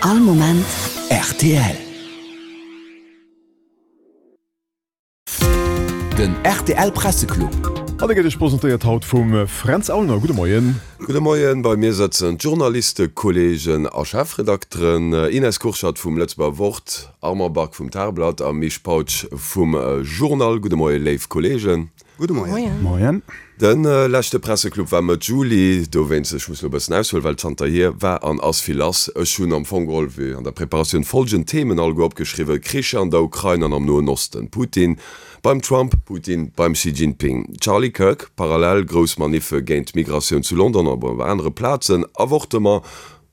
All Moment rtl. Den rtl Presseclub. An e gëtt Iech presentéiert haut vum Fränz Aulner. Gudde Moien. Gudde Moien. Bei mir sëtzen d'Journalistekolleegen a Chefredakteren Ines Kurschat vum Lëtzebuerger Wort, Armand Back vum Tageblatt a Misch Pautsch vum Journal. Gudde Moie léif Kolleegen. Gudde Moien. Moien. De leschte Presseclub war Mëtt Juli, dowéinst, ech muss elo e bëssen aushuelen, well zanterhier war an ass vill lass. Ech hunn am Fong geholl, wéi an der Preparatioun, folgend Themen alleguer opgeschriwwen, Kricher an der Ukrain an am Noen Osten, Putin beim Trump, Putin beim Xi Jinping, Charlie Kirk, parallel grouss Maniffe géint d'Migratioun zu London an op anere Plazen, Avortement,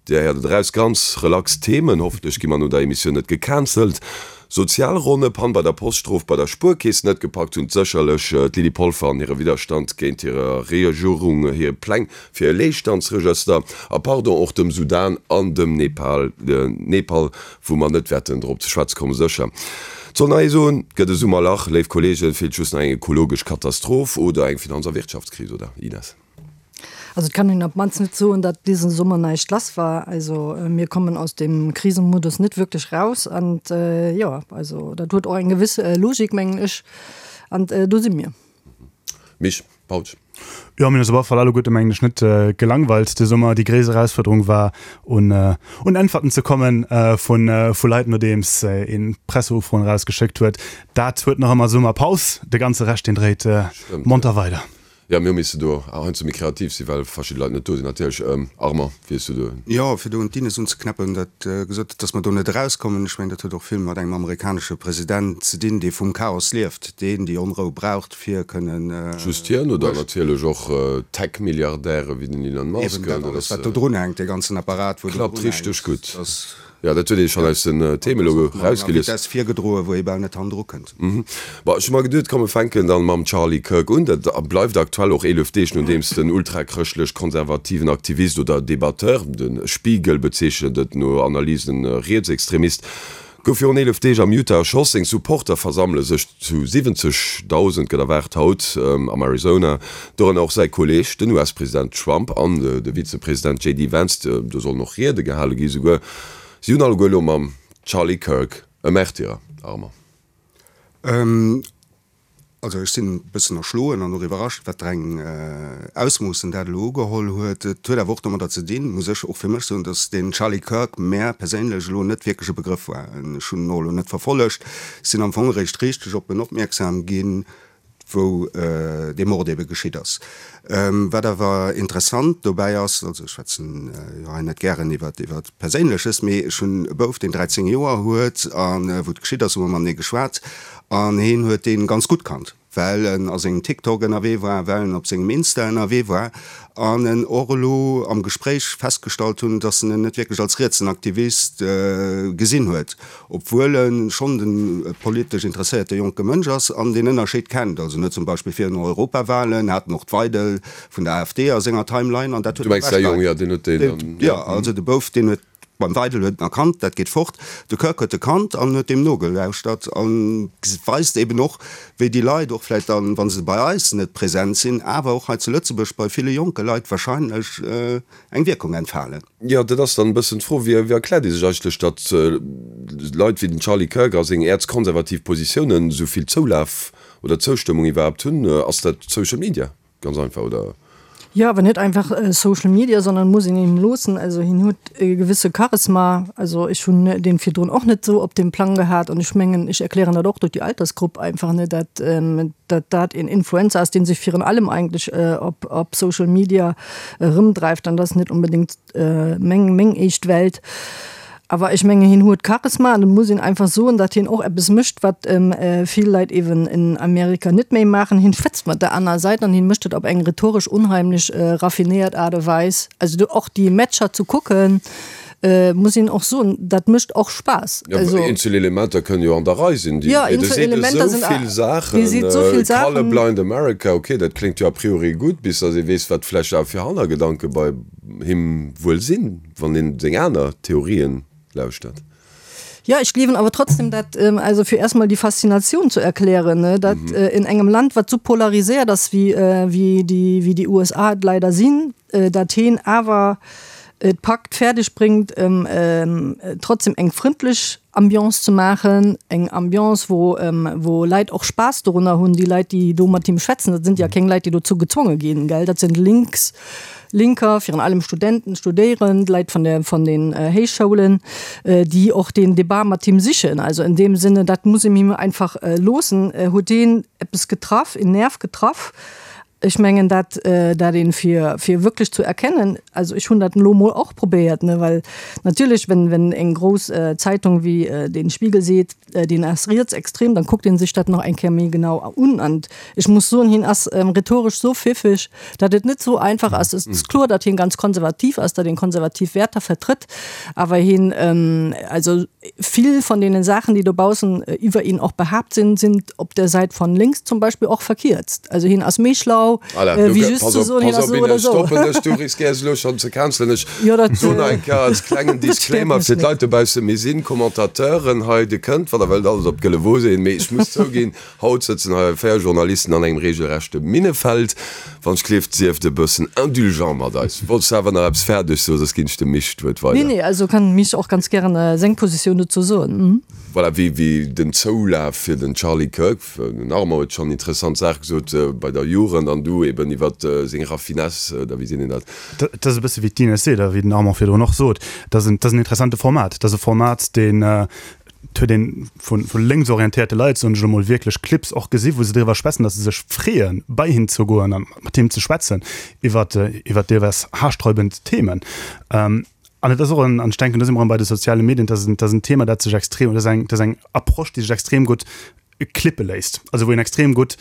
Dir héiert et eraus, ganz relax Themen. Hoffentlech gi mer no der Emissioun net gecancelt. Sozialronne, Pann bei der Post, Strof bei der Spuerkeess, net gepackt hunn sécherlech d'Lydie Polfer an hire Widderstand géint hirer Regierung hir Pläng fir e Leegstandsregëster. A Pardon och dem Sudan an dem Nepal, Nepal, wou mer net wäerten drop ze schwätze kommen, sécher. Et soll nach ee soen, et gëtt e Summerlach, léif Kolleegen, et feelt just nach eng ekologesch Katastroph oder eng Finanz a Wirtschaftskris, oder Ines? Also et kann een op d'mannst net soen, datt disen Summer näischt lass war. Also mir kommen aus dem Krisenmodus net wierklech raus an jo, also dat huet och eng gewëss Logik mengen ech an do si mir. Misch Pautsch. Jo, mir hunn eis op alle Fall alleguerte mengen ech net gelangweilt de Summer. Déi gréisst Erausfuerderung war un un Äntwerten ze kommen vu vu Leit nodeems een Presseufroen erausgeschéckt huet. Dat huet nach ëmmer Summerpaus, de ganze Rescht deen dréit monter weider. Jo, mir hu misse do heiansdo méi kreativ sinn, well verschidde Leit net do sinn natierlech. Armand, wéi hues du do. Jo, fir do un d'Ines unzeknäppen, dat gesot huet, datt mer do net erauskommen. Ech mengen, dat huet och vill mat engem amerikanesche President ze dinn, dee vum Chaos lieft, deen déi Onrou braucht, fir kënnen. Just hien oder natierlech och Tech-Milliardäre wéi den Elon Musk. Eben dat alles, wat do drunhänkt, dee ganzen Apparat, wou do drunhänkt. Klappt richteg gutt. Jo, dat huet ee schonn aus den Themen elo erausgelies. Vitesse virgedroen, wou ee bal net hannendru kënnt. Bon, ech hu mer geduet, komm mir fänken dann mam Charlie Kirk un. Dat bleift aktuell och 11 Deeg nodeems den ultrachrëschtlech-konservativen Aktivist oder Debatteur, de Spiegel bezeechent et no Analysen Rietsextremist, gouf virun 11 Deeg am Utah erschoss. Seng Supporter versammele sech zu 70.000, gëtt erwaart haut am Arizona, dorënner och säi Kolleeg, den US-President Trump an de Vizepresident JD Vance. Do sollen och Riede gehale gi souguer. Si hunn alleguer elo mam Charlie Kirk e Märtyrer, Armand. Also ech sinn e bëssen erschloen an och iwwerrascht, wat fir eng Ausmoossen dat elo ugeholl huet. Et huet awer och domadder ze dinn, muss ech och fir mech soen, datt deen Charlie Kirk mär perséinlech elo net wierklech e Begrëff war. Ech hunn en och elo net verfollegt, sinn am Fong eréischt richteg op en opmierksam ginn, wou dee Mord ebe geschitt ass. Wat awer interessant dobäi ass, also ech schwätzen jo hei net gären iwwer iwwer Perséinleches, mee ech hunn e Bouf, deen 13 Joer huet, a wou et geschitt ass, hu mer matenee geschwat an heen huet dee ganz gutt kannt, well en a sengem TikTok ënnerwee war, well en op sengem Insta ënnerwee war an en och elo am Gespréich festgestallt hunn, dass en en net wierklech als rietsen Aktivist gesinn huet, obwuel e schonn de politesch interesséierte jonke Mënsch ass an deen Ënnerscheed kennt. Also en huet zum Beispill virun den Europawahlen hat en och d'Weidel vun der AfD a senger Timeline an dat huet Du mengs säi Jong, jo, deen huet deen dann, jo. Also de Bouf, deen huet Beim Weidel huet en erkannt, dat geet fort. De Kirk huet e kannt an huet deem nogelauschtert an weist eben och, wéi déi Leit och vläicht dann, wa se bei eis net present sinn, awer och hei zu Lëtzebuerg bei ville jonke Leit wahrscheinlech eng Wierkung entfalen. Jo, dat ass dann e bëssen d'Fro, wéi erkläert ee sech eigentlech, datt Leit wéi den Charlie Kirk a seng äerzkonservativ Positiounen esou vill Zoulaf oder Zoustëmmung iwwerhaapt hunn? Ass dat Social Media? Ganz einfach, oder? Jo, awer net einfach Social Media, sondern muss een him loossen. Also hien huet e gewësse Charisma. Also ech hunn dee virdrun och net esou op dem Plang gehat an ech mengen, ech erklären dat och duerch déi Altersgrupp einfach, ne, dat dat dat een Influencer ass, dee sech virun allem eigentlech op op Social Media erëmdreift an dat ass net unbedéngt meng meng éischt Welt. Awer ech mengen, hien huet Charisma an et muss een einfach soen, datt hien och eppes mécht, wat vill Leit eeben in Amerika net méi maachen, Hien schwätzt mat der aner Säit an hien mécht et op eng rhetoresch unheimlech raffinéiert Aart a Weis. Also do och déi Matcher ze kucken, muss een och soen, dat mécht och Spaass. Jo, also eenzel Elementer kënnen jo an der Rei sinn. Jo, eenzel Elementer sinn esou vill Saachen. Dee seet esou vill Saachen. Colorblind America, okay, dat kléngt jo a priori gutt, bis datt ee weess, wat vläicht awer fir Hannergedanke bei him wuel sinn, wann een seng aner Theorien lauschtert. Jo, ech gleewen awer trotzdem, dat, also fir erstmal déi Faszinatioun zu erklären, ne, dat in engem Land, wat sou polariséiert ass wéi, wéi déi, wéi déi USA et leider sinn, dat heen awer. et packt, fäerdeg bréngt, trotzdem eng frëndlech Ambiance ze maachen, eng Ambiance, wou, wou Leit och Spaass dorunner hunn, déi Leit, déi do mat him schwätzen, dat sinn ja keng Leit, déi dozou gezwonge ginn, gell, dat sinn Links, Linker, virun allem Studenten, Studéierend, Leit vun der, vun den Héichschoulen, déi och deen Debat mat him sichen. Also in deem Sinne, dat muss een him einfach loossen, huet deen eppes getraff, een Nerv getraff. Ech mengen dat, dat een fir, fir wierklech zu erkennen, also ech hunn dat elo mol och probéiert, ne, well natierlech, wenn, wenn eng grouss Zeitung wéi den Spiegel seet, deen ass rietsextrem, dann kuckt een sech dat nach eng Kéier méi genau un. An ech muss soen, hien ass rhetoresch sou pfiffeg, dat et net sou einfach ass. Et ass kloer, datt hien ganz konservativ ass, datt hien konservativ Wäerter vertrëtt, awer hien, also vill von deenen Saachen, déi dobaussen iwwer ihn och behaapt sinn, sind op der Säit von links zum Beispill och verkierzt. Also hien ass méi schlau, Voilà, wéi du, just pass ze op, soen, hien pass ass op, esou oder Ines, esou. stoppen dech, du riskéiers elo schonn ze cancelen. Ech Jo, dat, soen nach eng Kéier als klengen dat stéiert Disclaimer mech fir net. d'Leit dobaussen, Mir sinn Commentateuren hei, Dir kënnt, wann Der wëllt, alles op d'gëlle Wo sinn, mee ech muss zouginn, Haut sëtzen hei 4 Journalisten an engem regelrechte Minnefeld. Wann ech gleeft, sieft e bëssen indulgent mat eis. Wollts de awer nach eppes fäerdeg soen, soss ginn ech dem Misch d'Wuert Nee, weider. nee, also kann Misch och ganz gären seng Positioun dozou soen. Voilà, wéi, wéi den Zoulaf fir den Charlie Kirk, den Armand huet schonn interessant Saache gesot bei der Jugend an du eben iwwer seng Raffinesse, oder wéi seet een dat? Dat ass e bësse wéi d'Ines seet a wéi den Armand virdrun och sot, dat ass en, dat ass en interessante Format. Dat ass e Format, deen, Et huet een vu lénksorientéierte Leit, soen ech elo mol, wierklech Clips och gesi wou se driwwer schwätzen, datt se sech freeën, bei him ze goen a mat him ze schwätzen iwwer iwwer deelweis haarsträubend Themen. An et ass och en, an ech denken, do si mer erëm bei de soziale Medien, dat ass en, dat ass en Thema, dat sech extrem, dat ass eng, dat ass eng Approche, déi sech extrem gutt clippe léisst, also wou een extrem gutt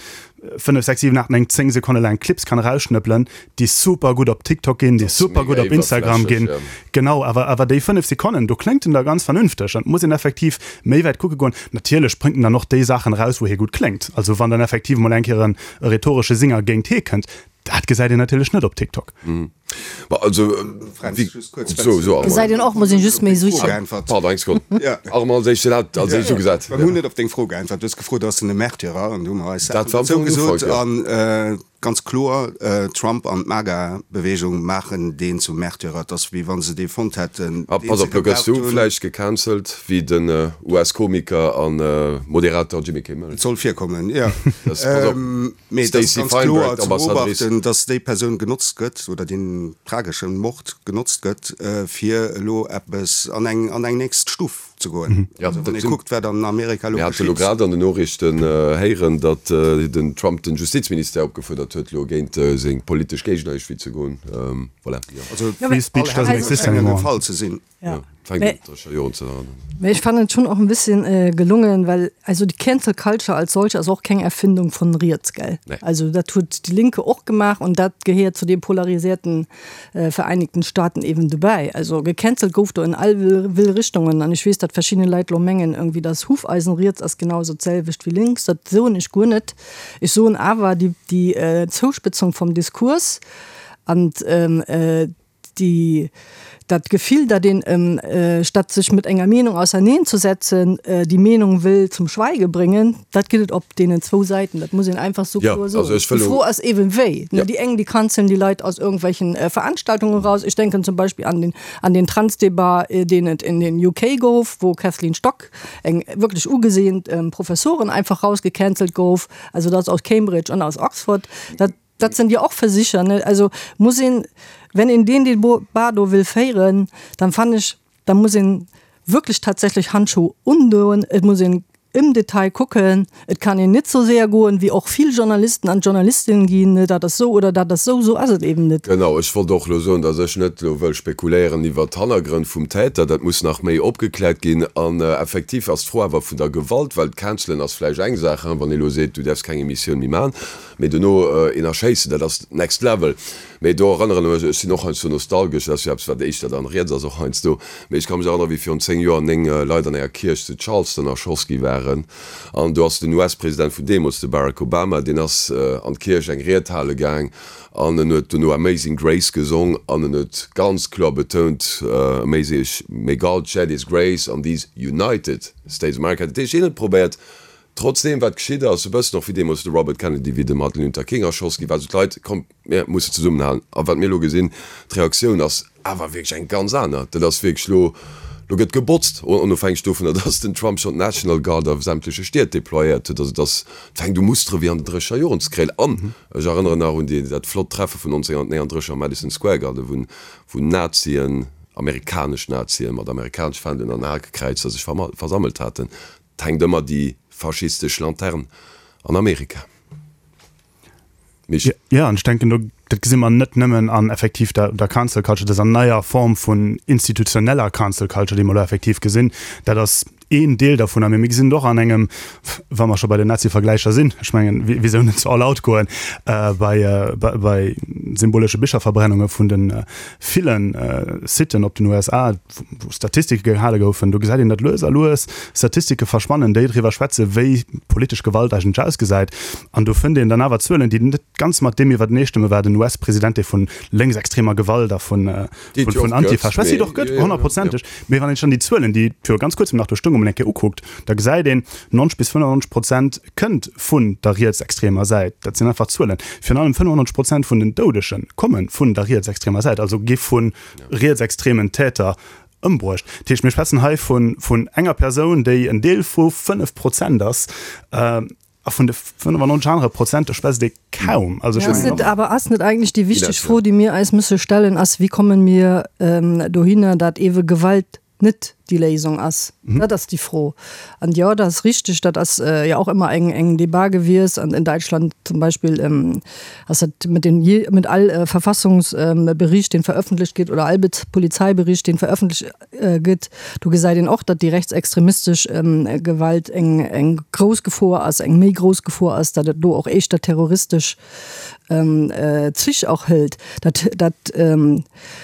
5, 6, 7, 8, 9, 10 Sekonne laang Clips kann erausschnëppelen, déi super gutt op TikTok ginn, déi super gutt op Instagram ginn. Genau, awer awer déi 5 Sekonnen, do kléngt en da ganz vernünfteg an et muss een effektiv méi wäit kucke goen. Natierlech bréngt en dann och déi Saachen eraus, wou hie gutt kléngt. Also wann dann effektiv emol eng Kéier en rhetoresche Singer géint hie kënnt, Dat gesäit een natierlech net op TikTok. Ma also, wéi, so, so, Armand. Gesäit een och, muss een just méi sichen. Pardon, eng Sekonn. Armand, als éischten hat als éischt ugesat. Mir hunn net op deng Fro geäntwert. Du hues gefrot, ass en e Märtyrer? An du hu mer eis Saachen dozou gesot. A ganz kloer, Trump an d'MAGA-Beweegung maachen deen zum Märtyrer. Et ass, wéi wa se dee fonnt hätten, deen se Pass op, lo gëss gebraucht du hunn. vläicht gecancelt, wéi den US-Komiker a Moderator Jimmy Kimmel. Et soll virkommen, jo. Pass op. Mee et ass Stacey ganz Feinberg, kloer ze d'Ambassadrice. beobachten, dass déi Persoun genotzt gëtt, oder deen tragesche Mord genotzt gëtt, fir elo eppes an eng, an eng nächst Stuf ze goen. Ja, Also wann dat ee sinn. kuckt, wat an Amerika elo Mir hate lo geschitt. grad an den Noriichten héieren, datt den Trump den Justizministère opgefuerdert huet, elo géint seng politesch Géigner iergendwéi ze goen. Voilà. Also Free speech all doesn't Hänn exist schéngen anymore. e Fall ze sinn. Ja. Fänkt un sech Joren ze erënneren. Mee ech fannen et schon och en bisschen gelungen, well also die Cancel Culture als solche ass och keng Erfindung von riets, gell? Nee. Also dat huet die Linke och gemaach und dat gehéiert zu den polarisierten Vereinigten Staaten eben dobäi. Also gecancelt gouf do in all will Richtungen an ech weess, datt verschidden Leit lo mengen irgendwie, dass Hufeisen riets ass genau sou d'selwecht wéi links. Dat soen ech guer net. Ech soen awer déi déi Zouspëtzung vom Diskurs an die, dat Gefill, dat een, statt sech mit enger Meenung auserneenzesetzen, die Meenung wëll zum Schweige bringen, dat gëtt et op deenen zwou Säiten. Dat muss een einfach sou Ja, kloer also soen. ech wëll Déi elo. Fro ass eeben wéi. Ja. Déi eng, déi canceln déi Leit aus irgendwelchen Veranstaltungen raus. Ech denken zum Beispill an den, an den Transdebat, deen et in den UK gouf, wou Kathleen Stock, eng wierklech ugesehend Professorin, einfach rausgecancelt gouf, also dat aus Cambridge an aus Oxford. Dat. Dat sinn jo och Versicher, ne? Also muss een, wenn een deen Debat do wëll féieren, dann fannen ech, da muss een wierklech tatsächlech Handschuh undoen, et muss een im Detail kucken, et kann een net sou séier goen, wéi och vill Journalisten an Journalistinnen ginn, ne, dat ass sou oder dat ass sou, sou ass et eben net. Genau, ech wollt och elo soen, datt ech net elo wëll spekuléieren iwwert d'Hannergrënn vum Täter, dat muss nach méi opgekläert ginn. An effektiv ass d'Fro awer vun der Gewalt, well d'Cancelen ass vläicht eng Saach, hein, wann ee elo seet, du däerfs keng Emissioun méi maachen, Mee dono een erschéissen, dat ass next level. Mee do erënneren ech mech, ech sinn och heiansdo nostalgesch, dat ass jo eppes wat éischter dann riets ass och heiansdo, mee ech ka mech erënneren, wéi virun 10 Joer 9 Leit an enger Kierch zu Charleston erschoss gi waren. An do ass den US-President vun deemools, de Barack Obama, deen ass an d'Kierch eng Ried hale gaang an en huet dono Amazing Grace gesong an en huet ganz kloer betount, Amazing, may God shed his grace on these United States of America. Dat heescht, hien huet probéiert, Trotz deem wat geschitt ass, e bëssen och wéi deemools de Robert Kennedy, wéi de Martin Luther King erschoss gi war, sou d'Leit, kommt mir musse zesummenhalen. A wat mir elo gesinn, d'Reaktioun ass Awer wierklech eng ganz aner. Dat ass wierklech elo, elo gëtt gebotzt, onofhängeg dovunner, datt den Trump schonn d'National Guard a sämtleche Stied deployéiert huet. Also et ass, et fänkt u Mustere wéi an den drécheger Joren ze kréien. An ech erënneren nach un déi, dat flott Treffe vun 1939 am Madison Square Garden, wou, wou Nazien, amerikanesch Nazien mat amerikanesch Fändelen an Hakekräizer sech versammelt haten. Et hänkt ëmmer déi faschistesch Lanterne an Amerika. Mich. Ja, an ech denken, do, dat gesi mer net nëmmen an effektiv der, der Cancel Culture, dëser neier Form vun institutioneller Cancel Culture, déi mer elo effektiv gesinn. Dat ass een Deel dervunner, mee mir gesinn et och an engem, wa mer scho bei den Nazi-Vergläicher sinn, ech mengen, wisou net all out goen, bei, bei symbolesche Bicherverbrennunge vun de ville Siten op den USA, wou Statistike gehale goufen, do gesäit een, datt lues a lues Statistike verschwannen, déi driwwer schwätzen, wéi politesch Gewalt eigentlech ausgesäit. An do fënnt een dann awer Zuelen, déi net ganz mat deem iwwerteneestëmmen, wat en US-President, dee vu lénksextremer Gewalt a vun Antifa schwätzt, déi et och gëtt, honnertprozenteg, mee wann een sech dann déi Zuelen, déi viru ganz kuerzem nach do stoungen, emol eng Kéier ukuckt, da gesäit een, 90 bis 95 Prozent kënnt vun der rietsextremer Säit. Dat sinn einfach Zuelen. Virun allem 95 Prozent vun den Doudege komme vun der rietsextremer Säit, also gi vu rietsextremen Täter ëmbruecht. Dat heescht, mir schwätzen hei vun, vun enger Persoun, déi en Deel vu 5 Prozent ass, a vun de 95 anere Prozent, do schwätzt ee kaum. Also ech mengen och. Awer ass net eigentlech déi wichteg Fro, déi mir eis musse stellen, ass, Wie kommen mir dohinner, dat ewe Gewalt net déi Léisung ass? Dat ass déi Fro. An jo, dat ass richtig, dat ass jo och ëmmer eng, eng Debat gewies an in Deutschland zum Beispill ass dat mit den je, mit all Verfassungsbericht, deen veröffentlicht gétt, oder all Polizeibericht, deen veröffentlicht gëtt, do gesäit een och, datt déi rechtsextremistesch Gewalt eng, eng grouss Gefor ass, eng méi grouss Gefor ass, datt et do och éischter terroristesch Zich och hëlt. Dat, dat,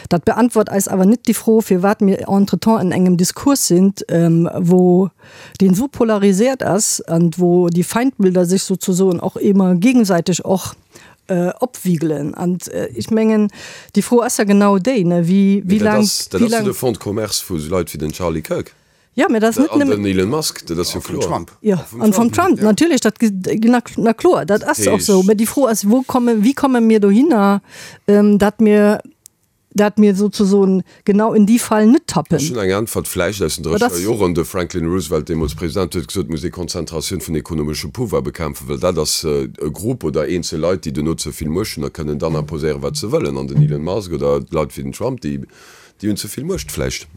dat beantwort eis awer net déi Fro, firwat mir entretemps an engem Diskurs sinn, wou deen esou polarisiert ass an wou déi Feindbilder sech sozusoen och ëmmer gegenseitig och opwigelen. An ech mengen, déi Fro ass ja genau déi, ne, wéi, wéi laang, wéi laang. Dat ass jo de Fonds de commerce vu sou Leit wéi den Charlie Kirk. Jo, mä dat ass net nëmmen. An den Elon Musk, dat ass jo kloer. Trump. Jo, an vum Trump, natierlech, dat, na, na kloer, dat ass och sou. Mä déi Fro ass, wou kommen, wéi komme mir dohinner, datt mir, datt mir sozusoen genau in déi Fal net tappen? Ech hunn eng Äntwert, vläicht aus den drécheger Joren. De Franklin Roosevelt, deemools President, huet gesot, et muss ee Konzentratioun vun ekonomeschem Pouvoir bekämpfen, well dat ass e Grupp oder eenzel Leit, déi duerno ze vill Muecht hunn a kënnen dann imposéieren, wat se wëllen. An den Elon Musk oder Leit wéi den Trump, déi, déi hunn ze vill Muecht vläicht.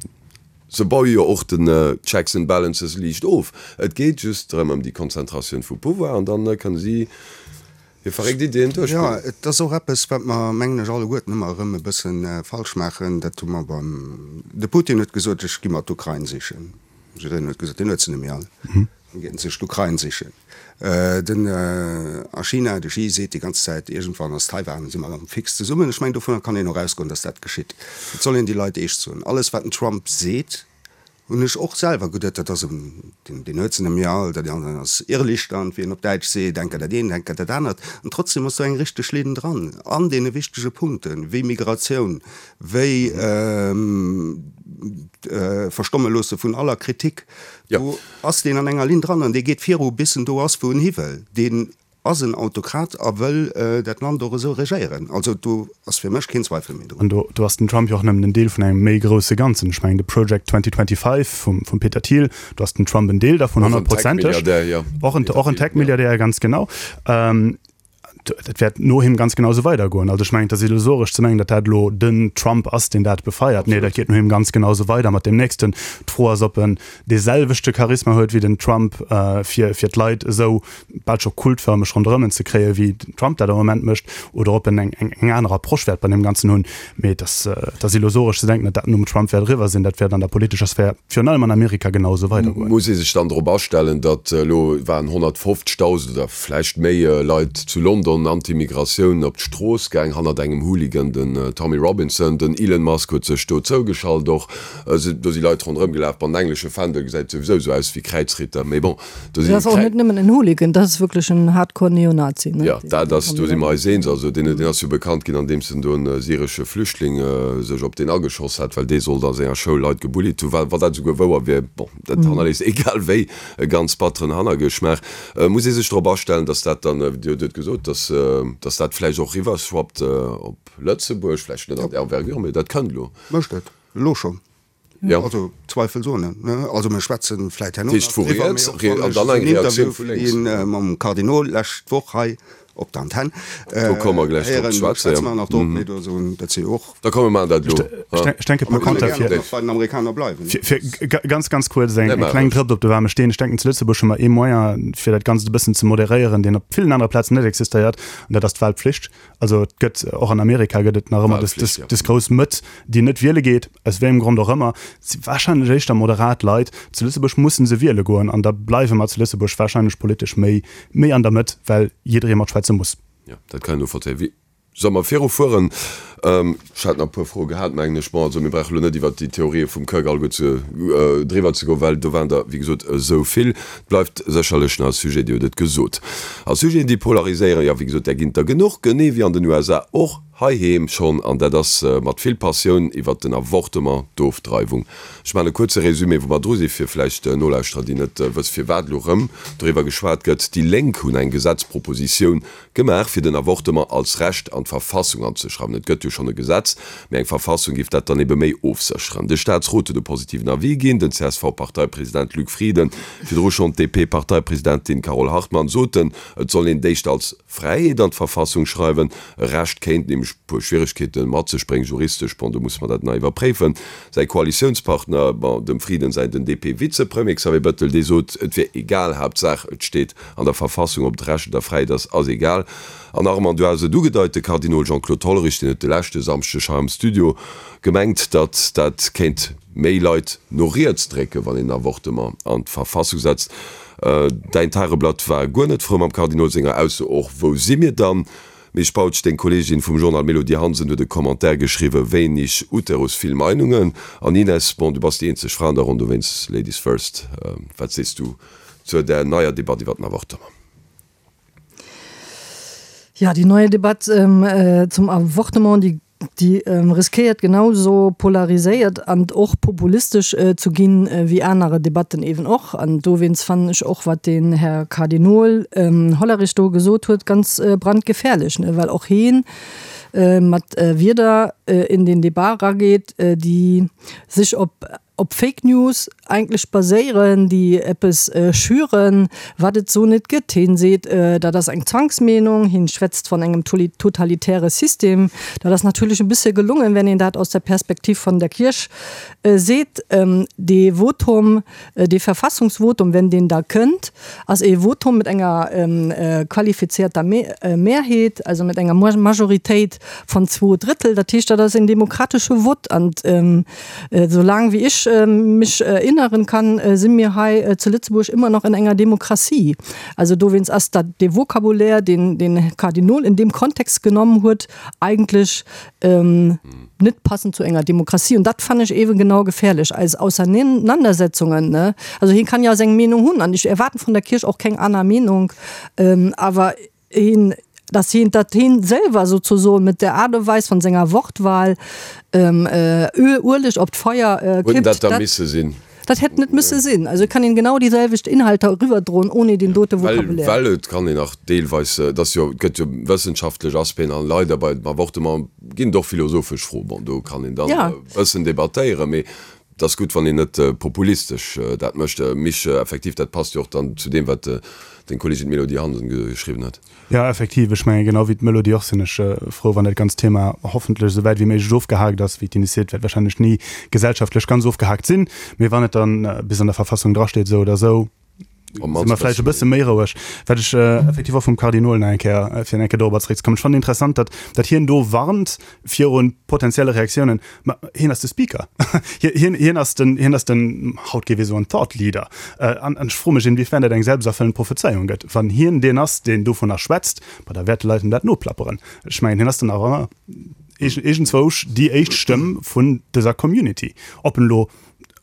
Se baue jo och den Checks and Balances liicht of. Et geet just drëm, ëm déi Konzentratioun vu Pouvoir, an dann kënne si hir verréckt Ideeën duerchbréngen. Jo, et ass och eppes, wat mer, mengen ech, alleguerten ëmmer erëm e bësse falsch maachen. Dat hu mer beim, de Putin huet gesot, ech gi mer d'Ukrain sichen. Jiddereen huet gesot, deen huet se net méi all. Dann geet en sech d'Ukrain sichen. Den a China, de Xi seet déi ganz Zäit, iergendwann ass Taiwan, si mer fix zesummen. Ech mengen, dovunner kann een och ausgoen, datt dat geschitt. Et soll een déi Leit eescht soen. Alles wat den Trump seet, hunn ech och selwer geduet, dat ass en, deen huet se net méi all, dat ass Irrlichtern, wéi een op Däitsch seet, enker dat eent, enker dat anert. An trotzdem ass do eng richteg Linn dran an deene wichtege Punkten, wéi Migratioun, wéi d'Verstomme loosse vun aller Kritik. Do ass deen an enger Linn dran an dee geet viru bis en do ass, wou en hi wëll. Deen ass en Autokrat a wëll dat Land och esou regéieren. Also do ass fir mech keen Zweifel méi drun. An do do ass den Trump jo och nëmmen en Deel vun engem méi grousse Ganzen. Ech mengen de Project 2025 vum vum Peter Thiel, do ass den Trump en Deel dervun, honnertprozenteg. Och en och en Tech-Milliardär, ganz genau. Dat wäert no him ganz genau esou weidergoen. Also ech mengen, et ass illusoresch ze mengen, datt dat elo den Trump ass, deen dat befeiert. Nee, dat geet no him ganz genau esou weider mat deem nächsten. D'Fro ass, ob en dee selwechte Charisma huet wéi den Trump, fir, fir d'Leit esou bal scho kultfërmeg ronderëm en ze kréien, wéi den Trump dat am Moment mécht, oder ob en eng, eng, eng aner Approche wäert bei deem Ganzen hunn. Mee et ass, et ass illusoresch ze denken, datt dat nom Trump wäert eriwwer sinn. Dat wäert an der politescher Sphär, virun allem an Amerika, genau esou weidergoen. Muss ee sech dann drop astellen, datt elo waren 150.000 oder vläicht méi Leit zu London anti-Migratioun op d'Strooss gaang, hannert engem Hooligan, den Tommy Robinson. Den Elon Musk huet sech do zougeschalt och. Do si Leit ronderëm gelaf, bon, den englesche Fändel gesäit souwisou esou aus wéi Kräizritter, mee bon, do si. Dat ass och net nëmmen en Hooligan, dat ass wierklech en hardcore Neonazi, ne? Jo, dat ass, do si mer eis eens. Also deen, deen ass jo bekannt ginn, andeems en do e syresche Flüchtling sech op deen ageschoss hat, well dee sollt a senger Schoul Leit gebullied hunn. Wa dat esouguer wouer wier, bon, dat hannerléisst egal wéi e ganz batteren Hannergeschmaach. Muss ee sech drop astellen, datt dat dann, Dir hutt et gesot, datt. datt, datt dat vläicht och riwwerschwappt op Lëtzebuerg, vläicht net an där Envergure, mee dat kënnt elo. Mécht et elo schonn. Jo. Also zweifelsohne, ne? Also mir schwätzen vläit herno Dat heescht nach vu driwwer, riets, mee och rie, wann an ech dann eng en Reaktioun Interview vu lénks. ginn mam Kardinol lescht Woch hei op der Antenn Do komme mer gläich drop héieren, ze schwätzen, schwätze jo. mer nach drop, mee do soen, dat si jo och. Da komm mir maachen dat elo. Ech ech denke A par mir kënne conter gären och fir nach bei den Amerikaner bleiwen. fir fir ganz ganz kuerz eng Nee, eng maach kleng ruhig. Drëps op de waarme Steen. Ech denken zu Lëtzebuerg hu mer ee Moyen fir dat Ganzt e bëssen ze moderéieren, deen op villen anere Plazen net existéiert, an dat ass d'Wahlpflicht. Also et gëtt, och an Amerika gëtt et nach ëmmer dës, dës, dës grouss Mëtt, déi net wiele geet, aus wéi engem Grond och ëmmer. Et si warscheinlech éischter moderat Leit. Zu Lëtzebuerg musse se wiele goen an da bleiwe mer zu Lëtzebuerg warscheinlech politesch méi, méi an der Mëtt, well jidderee matschwätze muss. Jo, dat kann een novollzéien. Wéi solle mer virufueren? Ech hat nach e puer Froe gehat, mengen ech. Bon, also mir brauche elo net iwwert déi Theorië vum Kirk alleguer ze, driwwer ze goen, well do waren der, wéi gesot, esou vill. Et bleift sécherlech nach e Sujet, Dir hutt et gesot. A Sujeten, déi polariséieren, jo, wéi gesot, där ginn et der genuch, genee wéi an den USA och heiheem schonn. An dat ass mat vill Passioun iwwert den Avortement, d'Ofdreiwung. Ech maachen e kuerze Résumé, wou mer dru sinn, fir vläicht Nolauschterer, déi net wësse firwat elo erëm doriwwer geschwat gëtt. Déi Lénk hunn eng Gesetzpropositioun Gemaach, fir den Avortement als Recht an d'Verfassung anzeschreiwen. Et gëtt jo schonn e Gesetz, mee eng Verfassung géif dat dann ebe méi ofsécheren. De Staatsrot huet e positiven Avis ginn. Den CSV-Parteipresident Luc Frieden, virdru schonn d'DP-Parteipresidentin Carole Hartmann soten, et soll een d'éischt als Fräiheet an d'Verfassung schreiwen. E Recht kéint nämlech e puer Schwieregkeete mat sech bréngen, juristesch, bon, do musse mer dat nach iwwerpréifen. Säi Koalitiounspartner, bon, dem Frieden säin, den DP-Vizepremier Xavier Bettel, dee sot, et wier egal, Haaptsaach et steet An der Verfassung, ob et Recht oder Fräiheet ass, ass egal. An Armand, du has et ugedeit, de Kardinol Jean-Claude Hollerich, deen huet de leschte Samschdeg hei am Studio gemengt, datt dat kéint méi Leit no riets drécken, wann een en Avortement an d'Verfassung setzt. Däin Tageblatt war guer net frou mam Kardinol senger Ausso. Och wou si mir dann? Misch Bautsch, deng Kolleegin vum Journal Mélodie Hansen huet e Commentaire geschriwwen, Wenig Uterus, vill Meinungen. An Ines, bon, du bass déi eenzeg Fra an der Ronn, dowéinst Ladies first, wat sees du Zur der neier Debatt iwwer den Avortement. Ja, déi neue Debatt zum Avortement, déi, déi riskéiert genauso polariséiert an och populistesch zu ginn, wéi anere Debatten eeben och. An dowéinst fannen ech och, wat den Här Kardinol Hollerich do gesot huet, ganz brandgefährlech, well och heen mat Wierder in den Debat erageet, déi sech op op Fake News eigentlech baséieren, déi eppes schüren, wat et sou net gëtt. Hien seet, dat ass eng Zwangsmeenung, hien schwätzt von engem totalitäre System. Dat ass natierlech e bësse gelungen, wenn een dat aus der Perspektiv von der Kierch seet. Dee Votum, dee Verfassungsvotum, wenn deen da kënnt, ass ee Votum mat enger qualifizierter Mehrheet, also mat enger Majoritéit von zwou Drëttel. Dat heescht, dat ass een demokratesche Vott. An Soulaang wéi ech mech erinneren kann, si mir hei zu Lëtzebuerg ëmmer nach in enger Demokratie. Also dowéinst ass dat dee Vocabulaire, deen den Kardinol in deem Kontext genommen huet, eigentlech net passend zu enger Demokratie. Und dat fannen ech eeben genau gefährlech, eis Auseinandersetzungen, ne. Also hien kann jo seng Meenung hunn an ech erwaarden vun der Kierch och keng aner Meenung, awer hien, dass hien, datt hien selwer sozusoen mit der Art und Weis von senger Wortwahl ähm, äh, Ueleg op d'Feier äh, kippt. dat da misse sinn? Dat hätt net müsse sinn. Also et kann een genau déi selwecht Inhalter eriwwerdroen ohne deen dote Vocabulaire. Well, well et kann een nach deelweis, et ass jo, et gëtt jo wëssenschaftlech Aspecten an leider bei dem Avortement ginn et och philosophesch Froen. Bon, do kann een dann e bëssen debattéieren, mee Et ass gutt, wann een net populistesch dat mécht. Misch, effektiv, dat passt jo och dann zu deem, wat deng Kolleegin d'Mélodie Hansen geschriwwen huet. Jo, effektiv. Ech mengen, genau wéi d'Mélodie och, sinn ech frou, wann dat ganzt Thema hoffentlech esou wäit wéi méiglech ofgehaakt ass. Wéi d'Ines seet, wäert wahrscheinlech ni gesellschaftlech ganz ofgehaakt sinn, mee wann et dann bis an der Verfassung drasteet, esou oder esou, si mer vläicht e bësse méi roueg. Wat ech effektiv och vum Kardinol nach eng Kéier, fir nach eng Kéier dorobber zeréckzekommen, ech fannen interessant, datt, datt hien do warnt viru potenzielle Reaktiounen. Ma hien ass de Speaker. Hien, hien ass den, hien ass den, haut géif ee soen, Thought Leader. An ech froe mech, inwiefern dat eng selbsterfüllend Prophezeiung gëtt. Wann hien deen ass, deen dovunner schwätzt, ma da wäerte Leit him dat noplapperen. Ech mengen, hien ass dann awer iergendzwousch déi éischt Stëmm vun dëser Community. Ob en elo.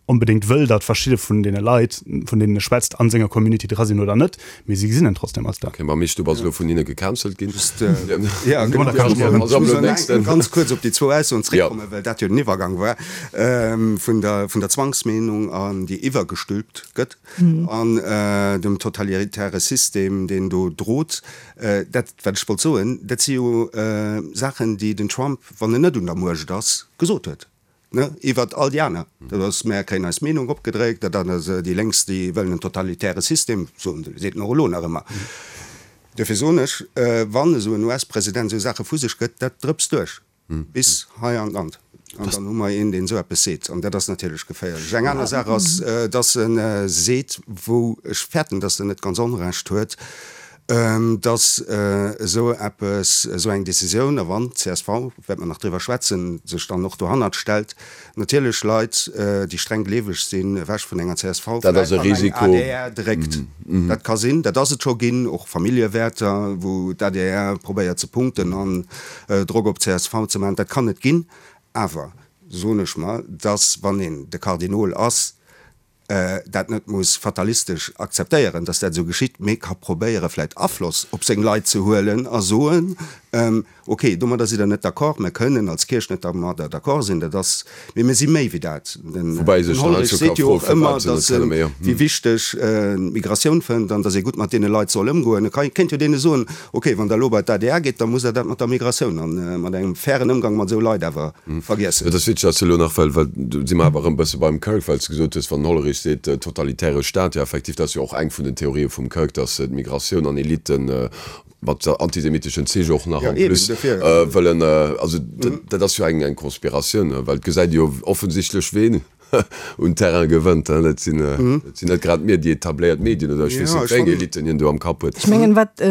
onbedéngt wëll, datt verschidde vun deene Leit, vun deenen e schwätzt, a senger Community dra sinn oder net, mee si gesinn en trotzdem als dat. Ok, ma Misch, du bass elo vun hinne gecancelt ginn. Just, ja, genau. Ech muss nach ganz kuerz op déi zwou Aussoen zréckkommen, well dat jo den Iwwergang war vun der, vun der Zwangsmeenung an déi iwwergestülpt gëtt an dem totalitäre System, deen do drot. Dat, wat ech wollt soen, dat si jo Saachen, déi den Trump, wann en net un der Muecht ass, gesot huet. Ne, iwwert all déi aner. Dat ass, mär kréien eis Meenung opgedréckt, dat ass déi Lénks, déi wëllen en totalitäre System, soen, seet en och elo nach ëmmer. Duerfir soen ech, wann esou en US-President esou Saache vu sech gëtt, dat drëpst duerch bis hei an d'Land. An dann hu mer een, deen esou eppes seet. An dat ass natierlech geféierlech. Eng aner Saach ass, datt e seet, wou ech fäerten, datt en net ganz Onrecht huet, Datt esou eppes, esou eng Décisioun, a wann d'CSV, wäerte mer nach driwwer schwätzen, sech dann och dohannert stellt, natierlech Leit, déi streng gleeweg sinn, ewech vun enger csv vläicht an eng adr dréckt. Dat ka sinn, dat ass et scho ginn, och Familljewäerter, wou d'ADR probéiert ze punkten an Drock op d'CSV ze maachen. Dat kann et ginn. Awer soen ech mer, datt wann een de Kardinol ass, dat net muss fatalistesch akzeptéieren, dass dat esou geschitt, mee ka probéiere vläicht Afloss op seng Leit ze huelen a soen, ok, domadder sidd Der net d'accord, mir kënnen als Kierch net dermadder d'accord sinn, dat ass, mee mir si méi wéi dat. Den Hollerich seet jo och ëmmer, dass en, wéi wichteg en d'Migratioun fënnt an dass ee gutt mat deene Leit soll ëmgoen. E kéint jo deene soen, ok, wann Der elo bei d'ADR gitt, da musst Der dat mat der Migratioun a mat engem fairen Ëmgang mat esou Leit awer vergiessen. Et ass witzeg, dass de elo nach, well, well do si mer awer erëm e bësse beim Kirk, well s de gesot hues, wann den Hollerich seet, totalitäre Staat, jo effektiv, dat ass jo och eng vun den Theorië vum Kirk, dass d'Migratioun an Elitten, mat antisemitteschen Zich och nach en plus, wëllen, also dat ass jo eng, eng Conspiratioun, well et gesäit ee jo offensichtlech, ween un Terrain gewënnt, dat sinn, dat sinn net grad mir, déi etabléiert Medien oder ech weess net, wéi eng Elitten hien do am Kapp huet. Ech mengen, wat,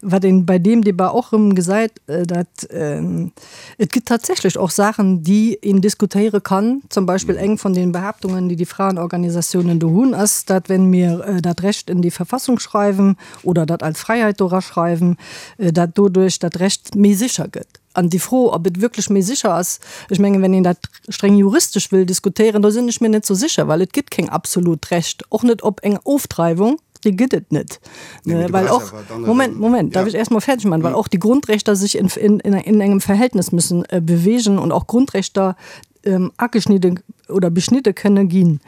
wat een bei deem Debat och erëm gesäit, dat Et gëtt tatsächlech och Saachen, déi een diskutéiere kann. Zum Beispill eng vun den Behaaptungen, déi déi Fraenorganisatiounen do hunn, ass, dat wenn mir dat Recht in die Verfassung schreiben oder dat als Freiheit do eraschreiwen, dat doduerch dat Recht méi sécher gëtt. An déi Fro, ob et wierklech méi sécher ass, ech mengen, wenn een dat streng juristesch wëll diskutéieren, do sinn ech mir net sou sécher, well et gëtt keng absolut Recht, och net op eng Ofdreiwung. Déi gëtt et net. Nee, well och, Moment, Moment, darf ich erst mal fertig machen, weil auch die Grundrechter sich in, in, in, in engem Verhältnis müssen äh, bewegen und auch Grundrechter ähm, ageschnidde oder beschnidde kënne ginn.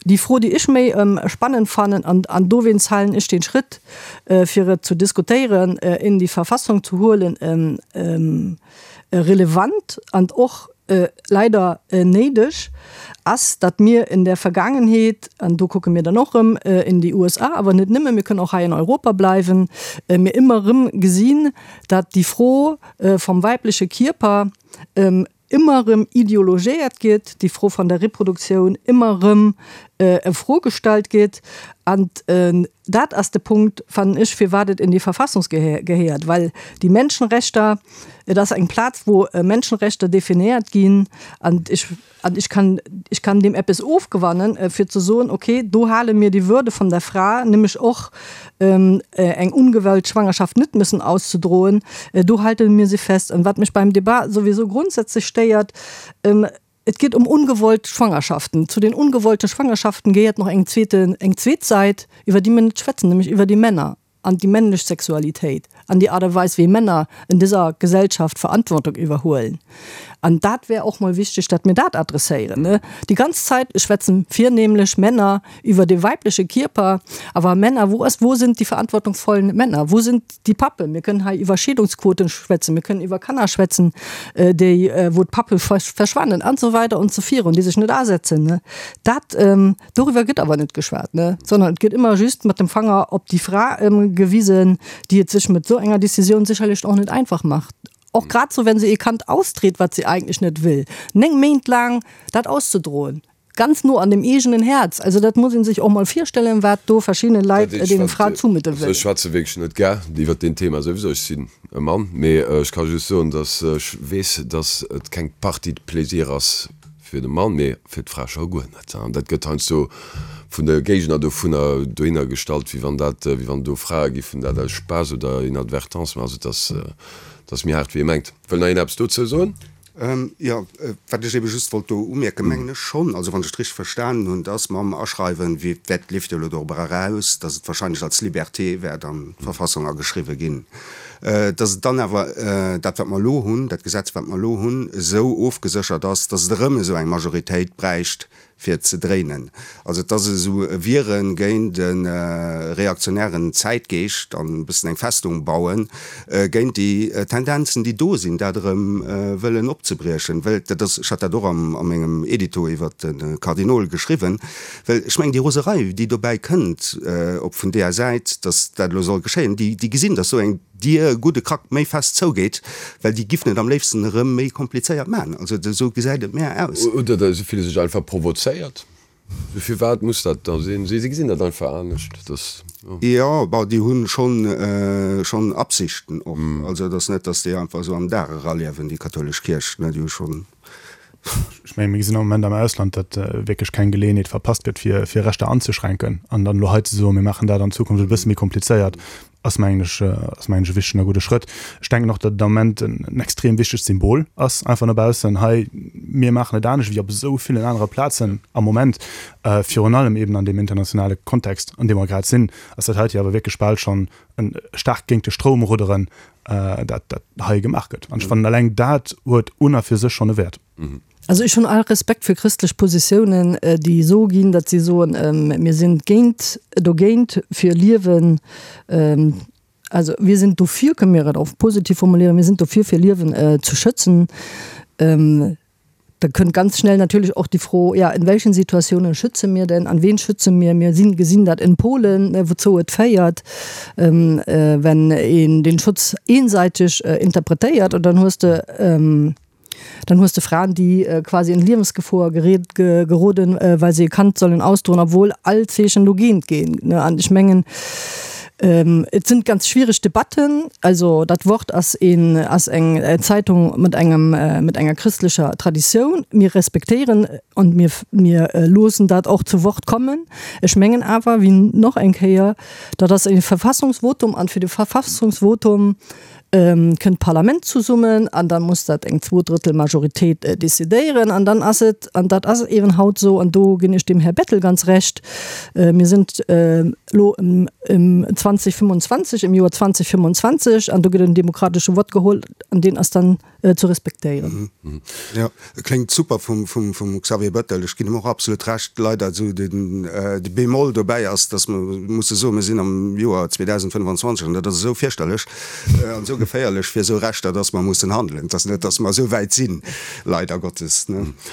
Déi Fro, déi ech méi ähm, spannend fannen, an, an dowéinst halen ech den Schritt, äh, fir et zu diskutéieren, äh, in die Verfassung zu huelen, ähm, ähm, relevant an och leider néideg ass, datt mir in der Vergangenheet, an do kucke mir dann och erëm in déi USA, awer net nëmme, mir kënnen och hei in Europa bleiwen, mir ëmmer erëm gesinn, datt déi Fro vom weibliche Kierper ëmmer erëm ideologéiert gétt, déi Fro van der Reproduktioun ëmmer erëm a Fro gestallt gétt. An dat ass de Punkt, fannen ech, firwat et in déi Verfassung gehéiert, well déi Menschenrechter, Et ass eng Plaz, wou Menschenrechter definéiert ginn an ech, an ech kann, ech kann deem eppes ofgewannen, fir ze soen, okay, do hale mir die Würde von der Fra, nämlech och eng ungewollt Schwangerschaft net müssen auszudroen, do halte mir se fest. An wat mech beim Debat souwisou grundsätzlech stéiert, Et geet ëm ungewollt Schwangerschaften. Zu den ungewollte Schwangerschaften gehéiert nach eng zweete, eng zweet Säit, iwwer déi mir net schwätzen, nämlech iwwer déi Männer. an déi männlech Sexualitéit an déi Aart a Weis, wéi Männer en dëser Gesellschaft Verantwortung iwwerhuelen. An dat wär och mol wichteg, datt mir dat adresséieren. Déi ganz Zäit schwätzen virnehmlech Männer iwwer de weibleche Kierper, awer Männer, wo ass, wo sind die verantwortungsvollen Männer, wo sind die Pappen? Mir kënnen hei iwwer Scheedungsquoten schwätzen, mir kënnen iwwer Kanner schwätzen, déi, wou d'Pappe verschwannen an esou weider und so virun, déi sech net asetzen. Dat Doriwwer gëtt awer net geschwat, ne, sondern et gëtt ëmmer just mat dem Fanger op déi Fra gewisen, déi et sech mat esou enger Décisioun sécherlech och net einfach macht. Och grad sou, wenn se ee Kand austreet, wat se eigentlech net wëll, 9 Méint laang dat auszedroen, ganz no an dem eegenen Häerz, also dat muss ee sech och mol virstellen, wat do verschiddene Leit deene Fraen zoumudde wëllen. Ech schwätze wierklech net gär iwwert deen Thema souwisou, ech sinn e Mann, mee ech ka just soen, datt ech weess, datt et keng Partie de plaisir ass, Fir de Mann, mee fir d'Fra scho guer net. An dat gëtt heiansdo vun de Géigner dovunner dohinner gestallt, wéi wann dat, wéi wann do Frae giffen dat aus Spaass oder Inadvertance maachen. Also et ass, et ass méi haart wéi ee mengt. Wëll nach een eppes dozou soen? Jo, wat ech ebe just wollt do umierken, mengen ech schonn, also wann ech et richteg verstanen hunn, dass mam Aschreiwen, wéi dat leeft jo elo dorobber eraus, dass et wahrscheinlech als Liberté wäert an d'Verfassung ageschriwwen ginn, dass et dann awer dat, wat mer elo hunn, dat Gesetz, wat mer elo hunn, esou ofgeséchert ass, dass et erëm esou eng Majoritéit bräicht, fir ze dréinen. Also et ass esou e Wiere géint e reaktionären Zäitgeescht an e bëssen eng Festung bauen géint déi Tendenzen, déi do sinn, dat erëm wëllen opzebriechen. Well dat ass, ech hat dat och a mengem Edito iwwert de Kardinol geschriwwen, well ech mengen déi Roserei, déi dobäi kënnt, op vun deeër Säit, datt dat elo soll geschéien, déi gesinn, datt esou eng Dier e gudde Krack méi fest zougeet, well déi giffen et am léifsten erëm méi komplizéiert man. Also esou gesäit et mär aus. Oder se fille sech einfach provozéiert. Firwat muss dat da sinn? Si gesinn dat einfach anescht. Dass, jo. Jo, bon, déi hu schonn, schonn Absichten och. Also et ass net, dass déi einfach esou am Dag eraliewen, déi kathoulesch Kierch, ne, déi hu schonn. Ech menge mir gesinn am Moment am Ausland, datt wierklech keng Geleeënheet verpasst gëtt, fir, fir Rechter anzeschränken. An dann elo hei ze soen, mir maachen dat an Zukunft e bësse méi komplizéiert, ass mengen ech, ass mengen ech e wichtegen a gudde Schrëtt. Ech denken och, datt et am Moment en extrem wichtegt Symbol ass, einfach no baussen, hei, mir maachen et anescht wéi op esou villen anere Plazen am Moment, virun allem eben an deem internationale Kontext, an deem mer grad sinn, ass dat heite jo awer wierklech bal schonn e staarkt géint de Stroum rudderen, dat dat hei gemaach gëtt. An ech fannen, eleng dat huet un a fir sech schonn e Wäert. Also ech hunn all Respekt fir christlech Positiounen, déi esou ginn, datt si soen, mir sinn géint, dogéint fir Liewen, also wir sind dofir, kënne mir et och positiv formulieren, mir sind dofir fir Liewen ze schützen. Da kënnt ganz schnell natürlich auch die Fro, ja, in welchen Situationen schütze mir denn, an wen schütze mir? Mir sinn, gesinn dat in Polen, wouzou et féiert, wenn een den Schutz eenseitig interpretéiert. Und dann hues de, dann hues de Fraen, déi quasi in Liewensgefor gereet, geroden, well se e Kand sollen ausdroen, obwohl all Zeechen dogéint ginn. An ech mengen, Et sind ganz schwierig Debatten. Also dat Wort ass een, ass eng Zeitung mat engem, mat enger christlecher Traditioun. Mir respektéieren und mir, mir loossen dat och zu Wort kommen. Ech mengen awer, wéi noch eng Kéier, dat ass e Verfassungsvotum an fir de Verfassungsvotum kënnt d'Parlament zesummen an da muss dat eng Zwoudrëttelmajoritéit decidéieren an dann ass et, an dat ass eeben haut esou, an do ginn ech dem Här Bettel ganz Recht, mir sinn elo ëm 2025, im Joer 2025 an do gëtt en demokratesche Vott geholl an deen ass dann ze respektéieren. Jo, kléngt super vum Xavier Bettel. Ech ginn him och absolut Recht. Leider esou de Bémol dobäi ass, datt mer musse soen, mir sinn am Joer 2025 an dat ass esou fierchterlech an esou geféierlech fir esou Rechter, datt mer mussen handelen. Et ass net, datt mer esou wäit sinn, leider Gottes.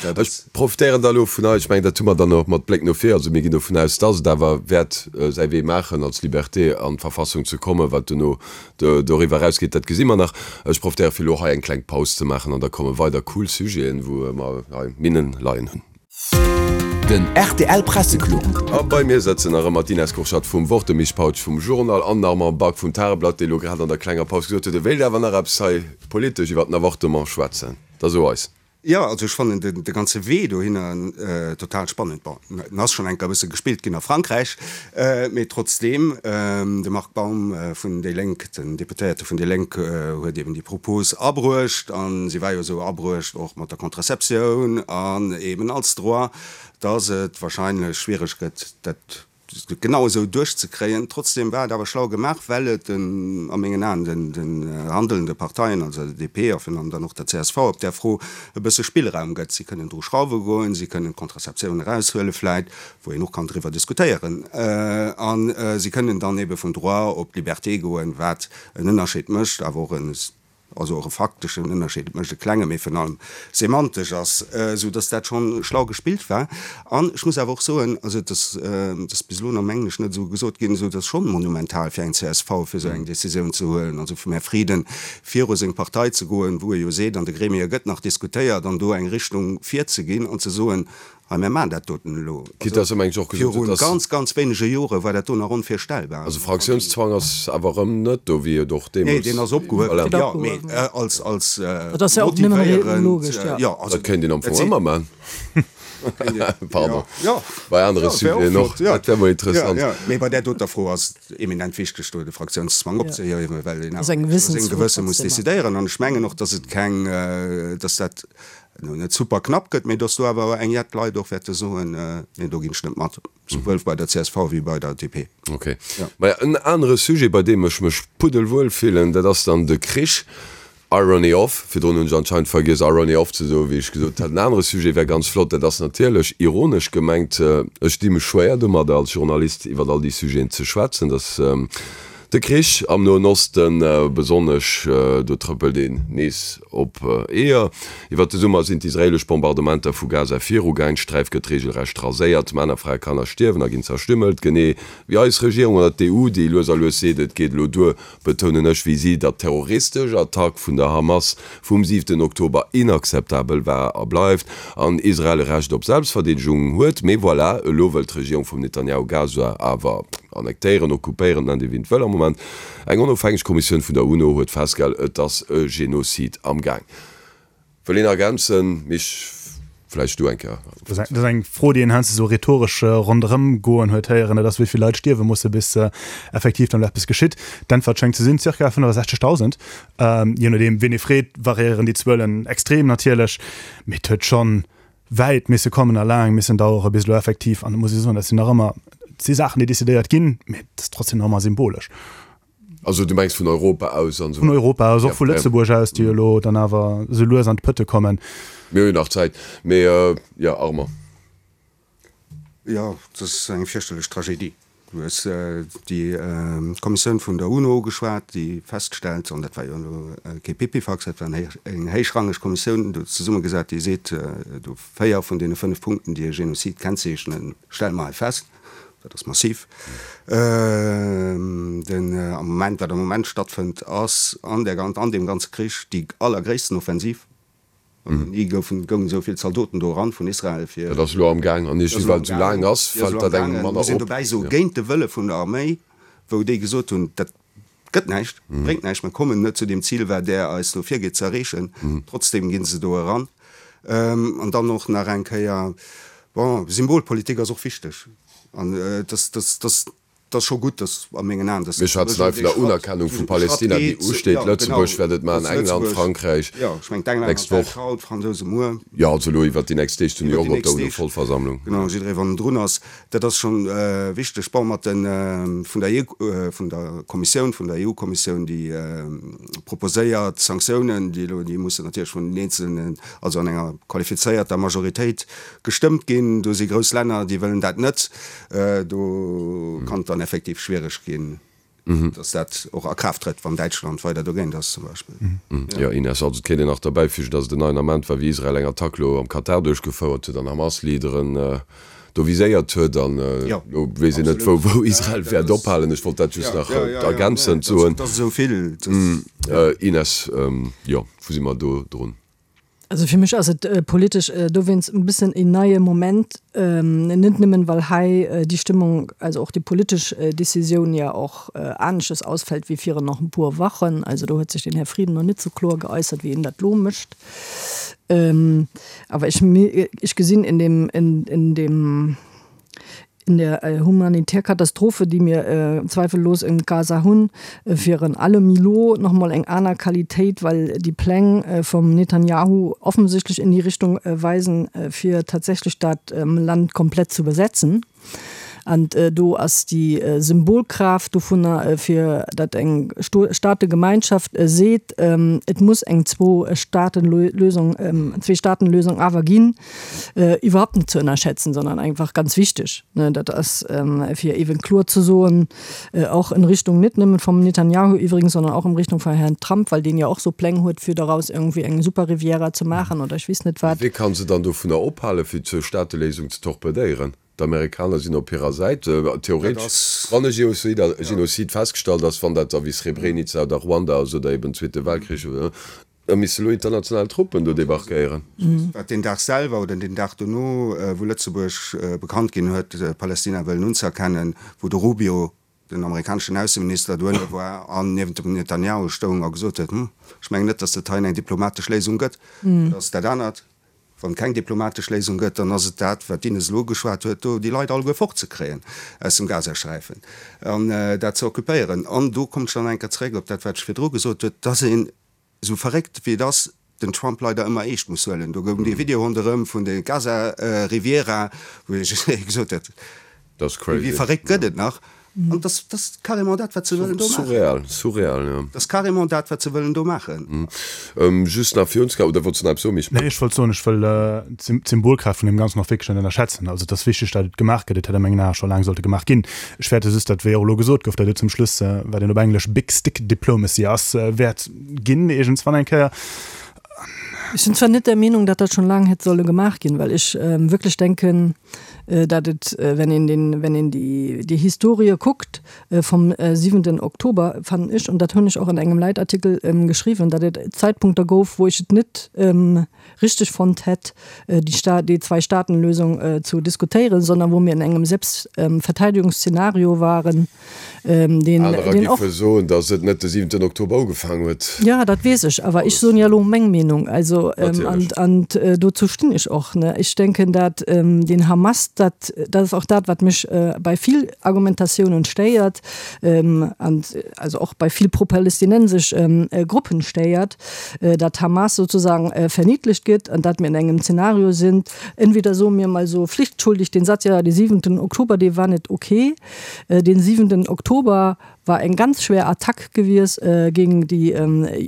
Ech profitéieren da elo vun hei, ech mengen, dat hu mer dann och mat Bléck no vir, also mir ginn dovun aus, datt et awer wäert säi Wee maachen, als Liberté an d'Verfassung ze kommen, wat duerno Doriwwer erausgeet, dat gesi mer nach. Ech profitéiere fir elo hei eng kleng Paus ze maachen an da komme weider cool Sujeten, wou mer hei Minnen leien hunn. Den rtl Presseclub. A bei mir sëtzen nach ëmmer d'Ines Kurschat vum Wort, de Misch Pautsch vum Journal an den Armand Back vum Tageblatt, dee elo grad an der klenger Paus gesot huet, e wéilt awer nach eppes hei politesch iwwer den Avortement schwätzen. Da so eis. Jo, also ech fannen de ganze Wee dohinner total spannend. Bon, en ass schonn eng Kéier e bësse gespillt ginn a Frankräich, mee trotzdeem, de Marc Baum vun déi Lénk, den Deputéierte vun déi Lénk huet eben déi Propos abruecht, a si war jo esou abruecht och mat der Contraceptioun an eben als Droit, datt et wahrscheinlech schwiereg gëtt, dat genau esou duerchzekréien. Trotzdem war et awer schlau gemaach, well et den, a mengen Aen, den, den handelnde Parteien, also der DP a virun allem dann och der csv op där Fro e bësse Spillraum gëtt. Si kënnen dru schrauwe goen, si kënnen d'Contraceptioun eraushuele vläit, wou een och kann driwwer diskutéieren, a si kënnen dann ebe vum Droit op d'Liberté goen, wat en Ënnerscheed mécht, awer och e also och e fakteschen Ënnerscheed, et mécht e klenge, mee virun allem semantesch ass, esou dass dat schonn schlau gespillt war. An ech muss awer och soen, also et ass, et ass bis elo nach, mengen ech, net esou gesot ginn, esou et ass schonn monumental fir eng csv, fir esou eng Décisioun ze huelen, also vum Här Frieden viru seng Partei ze goen, wou e jo seet, an de Gremie gëtt nach diskutéiert, an do eng Richtung virzeginn an ze soen, Hei, mir maachen dat doten elo. Quitte dass e mengt och gesot huet, dass. Viru ganz, ganz wéinege Jore war dat do nach onvirstellbar. Also Fraktiounszwang ass awer erëm net do, wéi et och deemools. Nee, deen ass opgehuewen, jo, mee als, als motivéierend. Jo, also. Dat kéint een am Fong ëmmer maachen. Pardon. Bei anere Sujeten och. Dat wär mol interessant. Mee bei där doter Fro ass et eminent wichteg, do de Fraktiounszwang opzehiewen, well een awer no sengem Gewësse muss decidéieren. An ech mengen och, dass et keng, dass dat elo net super knapp gëtt, mee dass do awer eng jett Leit och wäerte soen, Nee, do ginn ech net mat, souwuel bei der csv wéi bei der DP. Ok. Maja, en anere Sujet, bei deem ech mech puddelwuel fillen, dat ass dann de Krich. Irony off, virdrun hunn ech anscheinend vergiess Irony off ze soen, wéi ech gesot hat, en anere Sujet wär ganz flott, dat ass natierlech ironesch gemengt, ech di mech schwéier domadder als Journalist iwwer all déi Sujeten ze schwätzen, dass de Krich am Noen Osten besonnesch, do trëppelt een nees op Eeër. Iwwer de Summer sinn d'israeelesch Bombardementer vu Gaza virugaang, d'Sträif gëtt reegelrecht raséiert, Männer, Frae, Kanner stierwen a ginn zerstümmelt, genee wéi eis Regierung oder d'EU, déi lues a lues seet, et geet elo duer. betounen ech wéi si, datt d'terroristesch Attack vun der Hamas vum siwten Oktober inakzeptabel war a bleift an Israel e Recht op Selbstverdeedegung huet. Mee voilà, elo wëll d'Regierung vum Netanyahu Gaza awer annektéieren, occupéieren, nennt ee wéi en wëll am Moment. Eng onofhängeg Kommissioun vun der UNO huet festgehal, et ass e Genozid am Gaang. Wëll een ergänzen, Mich? Vläicht du eng Kéier. Dat ass eng Fro, déi een heiansdo esou rhetoresch ronderëm goen huet héieren, dat ass, wéi vill Leit stierwe musse bis effektiv dann elo eppes geschitt. D'Äntwert schéngt ze sinn, zirka 65.000. Je nodeem, wien ee freet, variéieren déi Zuelen extrem natierlech, mee et huet scho wäit misse kommen a laang missen dauere bis elo effektiv, an et muss ee soen, dat sinn nach ëmmer, et si Saachen, déi decidéiert ginn, mee et ass trotzdem nach ëmmer symbolesch. Also du mengs vun Europa aus an esou? Vun Europa aus, och vu Lëtzebuerg aus, déi elo dann awer esou lues an d'Pëtte kommen. Mir hu jo nach Zäit. Mee jo, Armand. Jo, et ass eng fierchterlech Tragedie. Du hues déi Kommissioun vun der UNO ugeschwat, déi feststellt, an dat war jo elo kee Pipifax, dat war eng héichrangeg Kommissioun do zesummegesat, déi seet, do véier vun deene fënnef Punkten, déi e Genozid kennzeechnen, stelle mer hei fest. Dat ass massiv. Den am Moment, wat am Moment stattfënnt, ass an där an deem ganze Krich déi allergréissten Offensiv. Ni goufen, goungen esou vill Zaldoten do eran vun Israel fir. Dat ass elo am Gaang an iergendwéi, well et esou laang ass, fält dat engem manner op. Muss een dobäi soen, géint de Wëlle vun der Arméi, wou déi gesot hunn, dat gëtt näischt, bréngt näischt, mir kommen net zu deem Zil, wat Der eis do virgitt ze erreechen. Trotzdem gi se do eran. An dann och nach eng Kéier, bon, Symbolpolitik ass och wichteg. An et ass, dat ass, dat ass scho gutt, dass a mengen Aen, dass Mir schwätzen hei vun der Unerkennung vu Palästina, déi usteet. Lëtzebuerg wäert et maachen, England, Frankräich d'nächst Woch. D'Fransouse muer. Jo, also elo iwwert déi nächst Deeg zu New York op der UNO-Vollversammlung. Genau, jidderee wann en drun ass. Dat ass scho wichteg. Bon, mat de vun der EU, vun der Kommissioun, vun der EU-Kommissioun, déi proposéiert Sanktiounen, déi elo, déi mussen natierlech vun den eenzelnen, also an enger qualifizéierter Majoritéit gestëmmt ginn. Do si grouss Länner, déi wëllen dat net. Do kann et dann effektiv schwiereg ginn, datt dat och a Kraaft trëtt, wann Däitschland weider dogéint ass zum Beispill. Jo, Ines, also et kéint een nach derbäifügen, datt et en neien Ament war, wéi Israel eng Attack elo am Katar duerchgefouert huet an Hamas-Leaderen do viséiert huet. An elo weess een net, wou Israel wäert ophalen. Ech wollt dat just nach ergänzend soen. Ines, jo, wou si mer do drun? Also fir mech ass et politesch dowéinst e bëssen een neie Moment, net nëmmen well hei déi Stëmmung, also och déi politesch Décisioun ja och anesches ausfält wéi virun nach e puer Wochen. Also do huet sech den Här Frieden nach net sou kloer geäussert wéi en dat lo mécht. Awer ech, ech gesinn in dem, in dem, In der humanitär Katastrophe, déi mir zweifellos in Gaza hunn, virun allem elo nach emol eng aner Qualitéit, well déi Pläng vum Netanjahu offensichtlech in déi Richtung weisen, fir tatsächlech dat Land komplett zu besetzen. An do ass déi Symbolkraaft dovunner, fir datt eng Staategemeinschaft seet, et muss eng Zwou-Staaten-Lösung, Zwee-Staaten-Lösung awer ginn, iwwerhaupt net ze ënnerschätzen, sondern einfach ganz wichteg. Dat ass fir eeben kloer ze soen, och in Richtung net nëmmen vum Netanjahu iwwregens, sondern och in Richtung vum Herrn Trump, well deen jo och sou Pläng huet, fir doraus irgendwie eng super Riviera ze maachen oder ech weess net wat. Wee kann se dann dovunner ophalen, fir d'Zwou-Staate-Léisung ze torpedéieren? D'Amerikaner sinn op hirer Säit. Theoretesch, wann e Genozid festgestallt ass, wann dat da wéi Srebrenica oder Ruanda ass oder eben Zweete Weltkrich, Da misste lo international Truppen do debarquéieren. Wat deen Dag selwer oder deen Dag dono, wou Lëtzebuerg bekannt ginn huet, Palästina wëllen unzëerkennen, wou de Rubio, den amerikaneschen Ausseminister, dohinner war an niewent dem Netanjahu stoung a gesot huet, Hm, ech mengen net, datt et hei eng diplomatesch Léisung gëtt. Dat ass dat anert. Wann et keng diplomatesch Léisung gëtt, dann ass et dat, wat d'Ines elo ugeschwat huet, do déi Leit alleguer fortzekréien aus dem Gazasträifen an dat ze occupéieren. An do kommt ech dann eng Kéier zeréck op dat, wat ech virdru gesot huet, dass een, esou verréckt wéi et ass, den Trump leider ëmmer eescht muss huelen. Do goung dee Video ronderëm vun der Gaza-Riviera, wou ee gesot huet, wéi verréckt gëtt et nach? An dat ass carrément dat, wat se wëllen do maachen. Surreal, surreal, jo. Dat ass carrément dat, wat se wëllen do maachen. Just nach fir ons, oder wollts de nach eppes soen, Misch? Nee, ech wollt soen, ech wëll d'Symbolkraaft vun deem Ganzen och wierklech net ënnerschätzen. Also et ass wichteg, datt et gemaach gëtt. Et hätt a mengen Ae scho laang sollte gemaach ginn. Ech fäerte just, datt, wéi och elo gesot gouf, datt et zum Schluss, wat een op Englesch big stick diplomacy ass, wäert ginn iergendswann eng Kéier. Ech sinn zwar net der Meenung, datt dat schonn laang hätt solle gemaach ginn, well ech wierklech denken, datt et, wenn een den, wenn een déi, déi Historie kuckt vum siwenten Oktober, fannen ech, an dat hunn ech och an engem Leitartikel geschriwwen, datt et Zäitpunkter gouf, wou ech et net richteg fonnt hätt, déi Sta, déi Zwei-Staaten-Lösung zu diskutéieren, sondern wou mir in engem Selbstverteidigungsszenario waren, deen, Anerer deen och. Géife soen, datt et net de siwenten Oktober ugefaangen huet. Jo, dat weess ech, awer ech soen jo elo meng Meenung, also, an, an dozou stinn ech och, ne. Ech denken, dat den Hamas, dat, dat ass och dat, wat mech bei vill Argumentatiounen stéiert, an also och bei vill pro-palästinensesch Gruppen stéiert, dat d'Hamas sozusagen verniedlicht gëtt an dat mir an engem Zeenario sinn, entweder soe mir mol esou pflichtschuldig den Satz, jo, de siwenten Oktober, dee war net ok, den siwenten Oktober war eng ganz schwer Attack gewies géing déi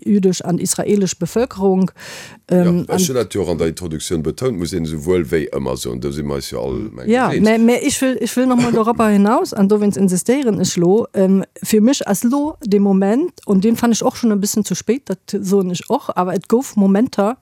jüdesch an israelesch Bevölkerung. Jo, ech hunn dat jo och an der Introduktioun betount, muss een esouwuel wéi ëmmer soen, do si mer eis jo all, mengen ech, eens. Jo, mä ech wëll, ech wëll nach mol dorobber hinaus, an dowéinst insistéieren ech lo, fir mech ass lo dee Moment, und deen fannen ech och schonn e bëssen zu spéit, dat soen ech och, awer et gouf Momenter,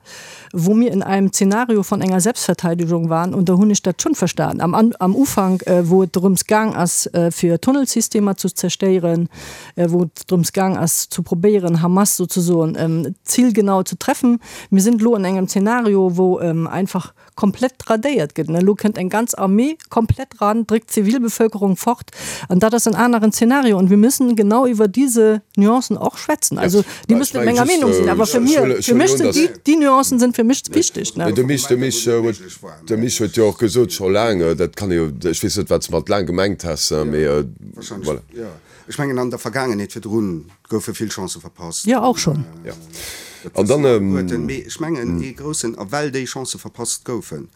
wou mir in einem Szenario von enger Selbstverteidigung waren, und do hunn ech dat schonn verstan am, am Ufank, wou et drëms gaang ass, fir Tunnelsystemer zu zerstéieren, wou et drëms gaang ass zu probéieren Hamas sozesoen zilgenau zu treffen. Mir sinn elo an engem Zeenario wou einfach komplett radéiert gëtt. Elo kënnt eng ganz Armee komplett ran, dréckt d'Zivilbevölkerung fort an dat ass en aneren Zeenario und wir müssen genau iwwer diese Nuancen och schwätzen. Also déi müssen net menger Meenung sinn, awer fir mir, fir mech sinn déi, déi Nuancen sinn fir mech wichteg. De Mich, de Mich huet, de Mich huet jo och gesot scho laang, dat kann ee jo, ech weess net wat s de mat laang gemengt has, mee voilà. Ech mengen an der Vergaangenheet virdrun goufe vill Chancë verpasst. Jo, och schonn. Jo. An dann. Mee ech mengen ee groussen, a well déi Chancë verpasst goufen,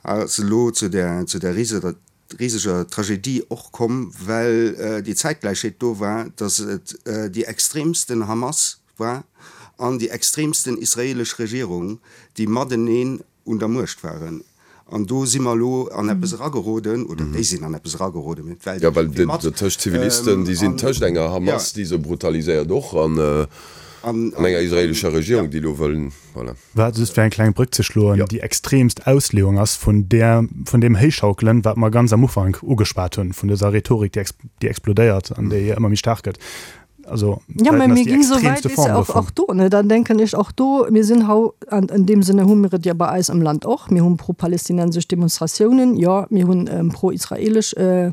ass elo zu där, zu där riseger Tragedie och komm, well déi Zäitgläichheet do war, datt et déi extremsten Hamas war an déi extremsten israelesch Regierung, déi mateneen un der Muecht waren. An do si mer elo an eppes erageroden, oder déi sinn an eppes erageroden, mee d'Welt Jo, well iergendwéi mat. tëscht Zivilisten, déi sinn tëscht enger Hamas, déi se brutaliséiert och, an enger israeelescher Regierung, déi elo wëll, voilà. Wat, just fir eng kleng Brëck ze schloen, déi extremst Ausleeung ass vun där, vun deem Héichschaukelen, wat mer ganz am Ufank ugeschwat hunn, vun dëser Rhetorik, déi explodéiert an déi ëmmer méi staark gëtt. Also, ja, mä mir ginn esou wäit, weess de, och, och do, ne, dann denken ech och do, mir sinn hau, an in deem Sinne hu mir et jo bei eis am Land och, mir hu pro-palästinensesch Demonstratiounen, jo, mir hunn ähm, pro-israelesch äh,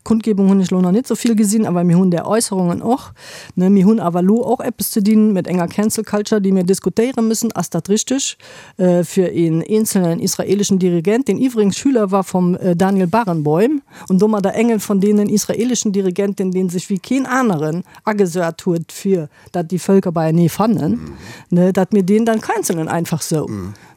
Kundgebung hunn ech lo nach net esou vill gesinn, awer mir hunn där Äusserungen och, ne. Mir hunn awer lo och eppes ze dinn mit enger Cancel Culture, déi mir diskutéiere müssen, Ass dat richteg äh, fir een eenzelnen israeleschen Dirigent, deen iwwregens Schüler war vom äh, Daniel Barenboim, Und domadder engen von deenen israelischen Dirigenten, deen sech wéi keen aneren agesat huet fir dat déi Völker beienee fannen, ne, dat mir deen dann cancelen einfach sou.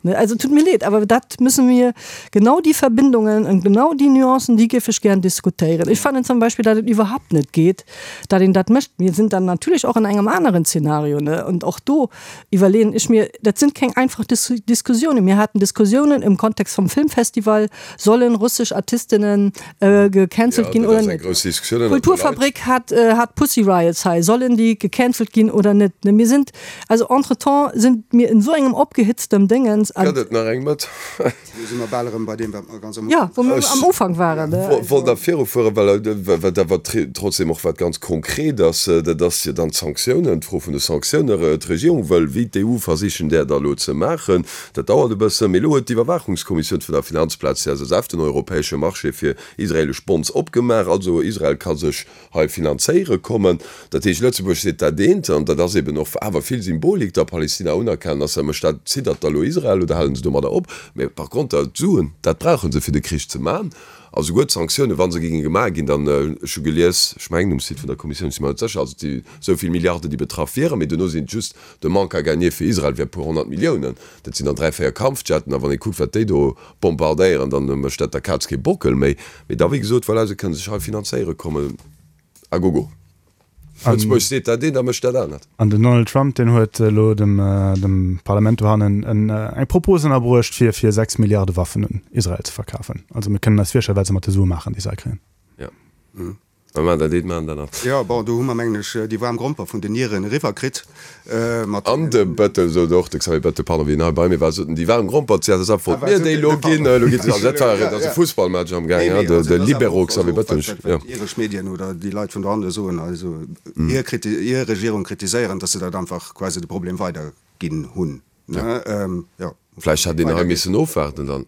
Ne, also tut mir leed, awer dat müssen mir, genau déi Verbindungen und genau déi Nuancen, déi géif ech gären diskutéieren. Ech fannen zum Beispill, dat et iwwerhaupt net geet, dat een dat mécht. Mir sinn dann natierlech och an engem aneren Zeenario, ne, und och do iwwerleeën ech mir, dat sinn keng einfach Diskussiounen. Mir haten Diskussiounen im Kontext vom Filmfestival, Sollen russesch Artistinnen gecancelt ginn oder net? D'Kulturfabrik hat hat Pussy Riots hei, sollen déi gecancelt ginn oder net? Mir sinn, also entretemps sinn mir in esou engem opgehitztem Déngens. Gëtt et nach eng Mëtt? Do si mer bal erëm bei deem, wat mer ganz am Ufank. Jo, wou mer am Ufank waren. Ech wollt nach virufueren, well wat awer trotzdem och wat ganz konkret ass, dat ass jo dann d'Sanktiounen, d'Fro vun de Sanktiounen. D'Regierung wëll, wéi d'EU, versichen, där da elo ze maachen. Dat dauert e bëssen, mee elo huet d'Iwwerwaachungskommissioun vun der Finanzplaz CSSF den europäesche Marché fir israelesch Bonds opgemaach. Also Israel ka sech hei finanzéiere kommen. Dat heescht, Lëtzebuerg seet dat eent, an dat ass eben och awer vill Symbolik, da Palestina unerkennen ass, da mécht dat, ziddert da elo Israel. Israel oder hale se domadder op? Mä par conter d'Suen, dat brauche se fir de Krich ze man. A souguer d'Sanktiounen, wa se géinge gemaach ginn, dann, ech hu gelies, ech mengen um Site vun der Kommissioun, ech si mer net sécher, also et si esou vill Milliarden, déi betraff wieren, mee duerno sinn et just de Manque à gagner fir Israel wär e puer 100 Milliounen. Dat sinn dann 3, 4 Kampfjetten, a wann ee kuckt, wat déi do bombardéieren, dann mécht dat der Kaz kee Bockel méi. Mee da, wéi gesot, voilà, se kënne sech hei finanzéiere kommen, à gogo. Lëtzebuerg seet dat eent a mécht dat anert. An den Donald Trump, deen huet elo dem dem Parlament dohannen en eng Propos ënnerbruecht, fir fir 6 Milliarde Waffen un Israel ze verkafen. Also mir kënnen eis virstellen, wat se mat de Sue maachen, déi se hei kréien. Jo. Mä maachen dat eent, maachen dat anert. Jo, bon, do hu mer, mengen ech, déi waarm Gromper vun den Iren eriwwer kritt mat. An de Bettel sot och, de Xavier Bettel, pardon, wéi en hei bei mir war, sot en, déi waarm Gromper, d'CSSF wollt mir déi elo ginn, elo gi se, also dat war, et ass e Fussballmatch amgaang, hein, de Libero Xavier Bettel, jo. Wat iresch Medien oder déi Leit vun dohanne soen, also hir Kriti, hir Regierung kritiséieren, datt se dat einfach quasi de Problem weiderginn hunn, ne, jo. Vläicht hätt een hei missen ofwaarden dann.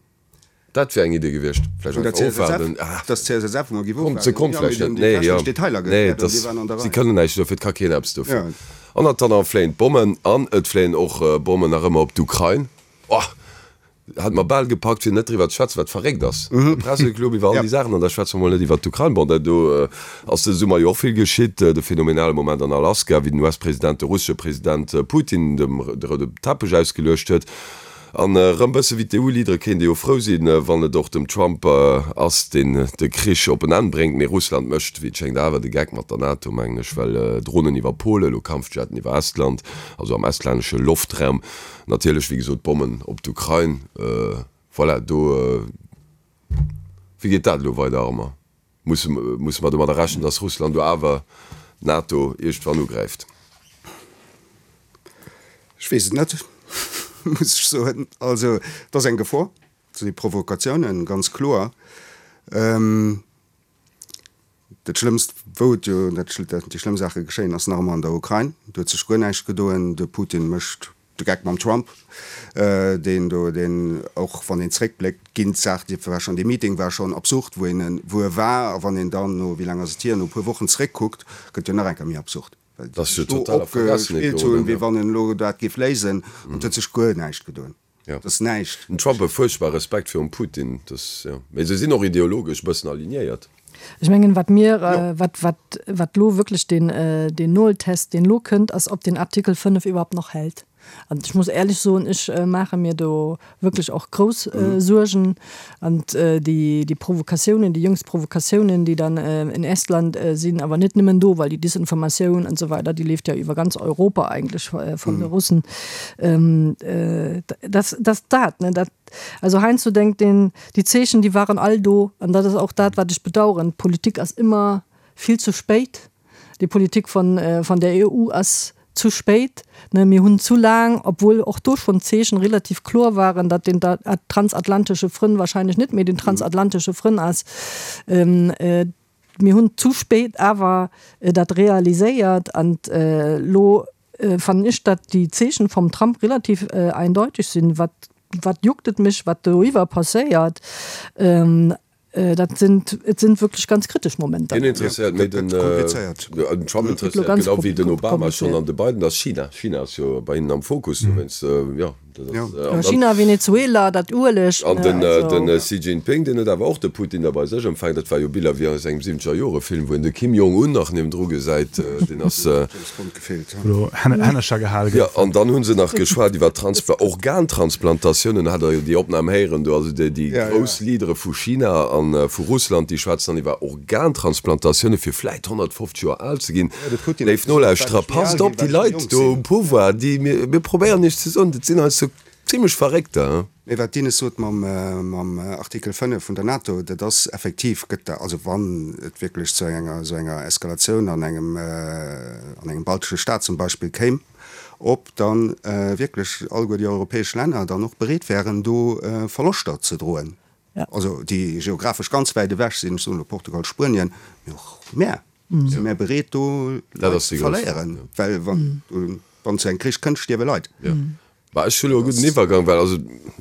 Dat wär eng Idee gewiescht. Vläicht einfach ofwaarden. Dass d'CSSF emol géif ofwaarden. Se konnt vläicht net. Nee, jo. Nee, dass si kënnen näischt dofir, et ka keen eppes dofir. An attendant fléien d'Bommen an et fléien och Bommen nach ëmmer op d'Ukrain. Oh, hat mer bal gepackt fir net driwwer ze schwätzen, wat verréckt ass. De Presseclub iwwer all déi Saachen an da schwätze mer mol net iwwer d'Ukrain. Bon, dat do ass dëse Summer jo och vill geschitt. De phänomenale Moment an Alaska, wéi den US-President de russesche President Putin dem de roude Teppech ausgeluecht huet. An erëm bësse wéi d'EU-Leadere kéint ee jo frou sinn, wann et och dem Trump ass, deen de Krich op en Enn bréngt. Mee Russland mécht, wéi et schéngt, awer de Geck mat der NATO, mengen ech, well Dronen iwwer Polen, elo Kampfjetten iwwer Estland, also am estlännesche Loftraum, natierlech, wéi gesot, Bommen op d'Ukrain. Voilà, do, wéi geet dat elo weider, Armand? Musse musse mer domadder rechnen, datt Russland do awer d'NATO iergendwann ugräift? Ech weess et net, muss ech soen. Also et ass eng Gefor, et si Provokatiounen, ganz kloer. Dat Schlëmmst, wou et jo dat déi schlëmm Saache geschéien, ass nach ëmmer an der Ukrain. Do huet sech guer näischt gedoen. De Putin mécht De Geck mam Trump, deen do, deen och wann een zréckbléckt, ginn d'Saach, déi war schonn, dee Meeting war schonn absurd, wou een, wou e war. A wann een dann no, wéi laang ass et hier, no e puer Wochen zréckkuckt, gëtt jo nach eng Kéier méi absurd, well déi sech do opgespillt hunn, wéi wann en elo dat géif léisen. An et huet sech guer näischt gedoen. Et ass näischt. Den Trump huet fuerchtbar Respekt virum Putin, dass, jo. Mee se sinn och ideologesch e bëssen alignéiert. Ech mengen, wat mir, wat, wat, wat elo wierklech deen, deen Noltest, deen elo kënnt, ass, ob deen Artikel 5 iwwerhaupt nach hält. An ech muss éierlech soen, ech maache mir do wierklech och grouss Suergen. An déi, déi Provokatiounen, déi jüngst Provokatiounen, déi dann in Estland sinn, awer net nëmmen do, well déi Disinformatioun an esou weider, déi leeft jo iwwer ganz Europa eigentlech vun de Russen, dass, dass dat, ne, dat, Also heiansdo denkt een, déi Zeechen, déi waren all do. An dat ass och dat, wat ech bedauern. D'Politik ass ëmmer vill ze spéit. Déi Politik von, von der EU ass zu spéit. Mir hunn zu laang, obwuel och do schonn d'Zeechen relativ kloer waren, datt den transatlantesche Frënn wahrscheinlech net méi den transatlantesche Frënn ass, Mir hunn zu spéit awer dat realiséiert an elo fannen ech, datt déi Zeechen vum Trump relativ eindeutig sinn. Wat, wat juckt et mech, wat doriwwer passéiert? Dat sinn, et sinn wierklech ganz kritesch Momenter. Hien interesséiert méi den, den Trump interesséiert genau wéi den Obama schonn an de Biden ass China. China ass jo bei hinnen am Fokus, dowéinst, jo. China, Venezuela, dat Ueleg. An den Xi Jinping, deen huet awer och de Putin da bei sech empfaangen. Dat war jo Biller wéi aus engem siwwenzeger Jore Film, wou een de Kim Jong Un nach niewendru gesäit. Deen ass. Wou Hännercher gehale goufen. Jo, an dann hu se nach geschwat iwwer Transpla Organtransplantatiounen. Hat Der jo déi Opnam héieren do. Also déi grouss Leadere vu China a vu Russland, déi schwätzen dann iwwer Organtransplantatioune fir vläit 150 Joer al ze ginn. Léif Nolauschterer, passt op, déi Leit do um Pouvoir, déi, mir probéieren iech ze soen, dat sinn heiansdo zimlech Verréckter, hein. Mee wat d'Ines sot mam Artikel 5 vun der NATO, dat ass effektiv, gëtt da, also wann et wierklech zu enger esou enger Eskalatioun an engem, an engem baltesche Staat zum Beispill kéim, ob dann wierklech alleguer déi europäesch Länner dann och bereet wären, do Verloschter ze droen. Also déi geographesch ganz wäit ewech sinn, ech soen elo Portugal, Spuenien, mee och mär, si mär bereet do Leit ze verléieren, well wann zu engem Krich kënnt, stierwe Leit. Bah, ech hu lo e gudden Iwwergang, well also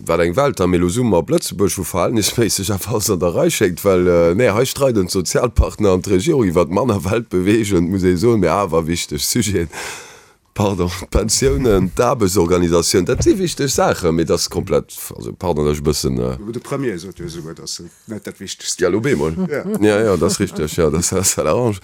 wat eng Welt da, mee elo zoome mer op Lëtzebuerg, wou verhältnisméisseg awer alles an der Rei schéngt, well nee, hei streiden d'Sozialpartner an d'Regierung iwwert manner weltbeweegend, muss ee soen, mee awer wichteg Sujeten. Pardon, d'Pensiounen, d'Aarbechtsorganisatioun, dat si wichteg Saachen, mee dat ass komplett, also pardon, datt ech e bëssen. De Premier sot jo esouguer, datt et net dat Wichtegst wier. Ja, lo bemol. Ja, ja, dat ass richteg, jo, dat ass ça l'arrange.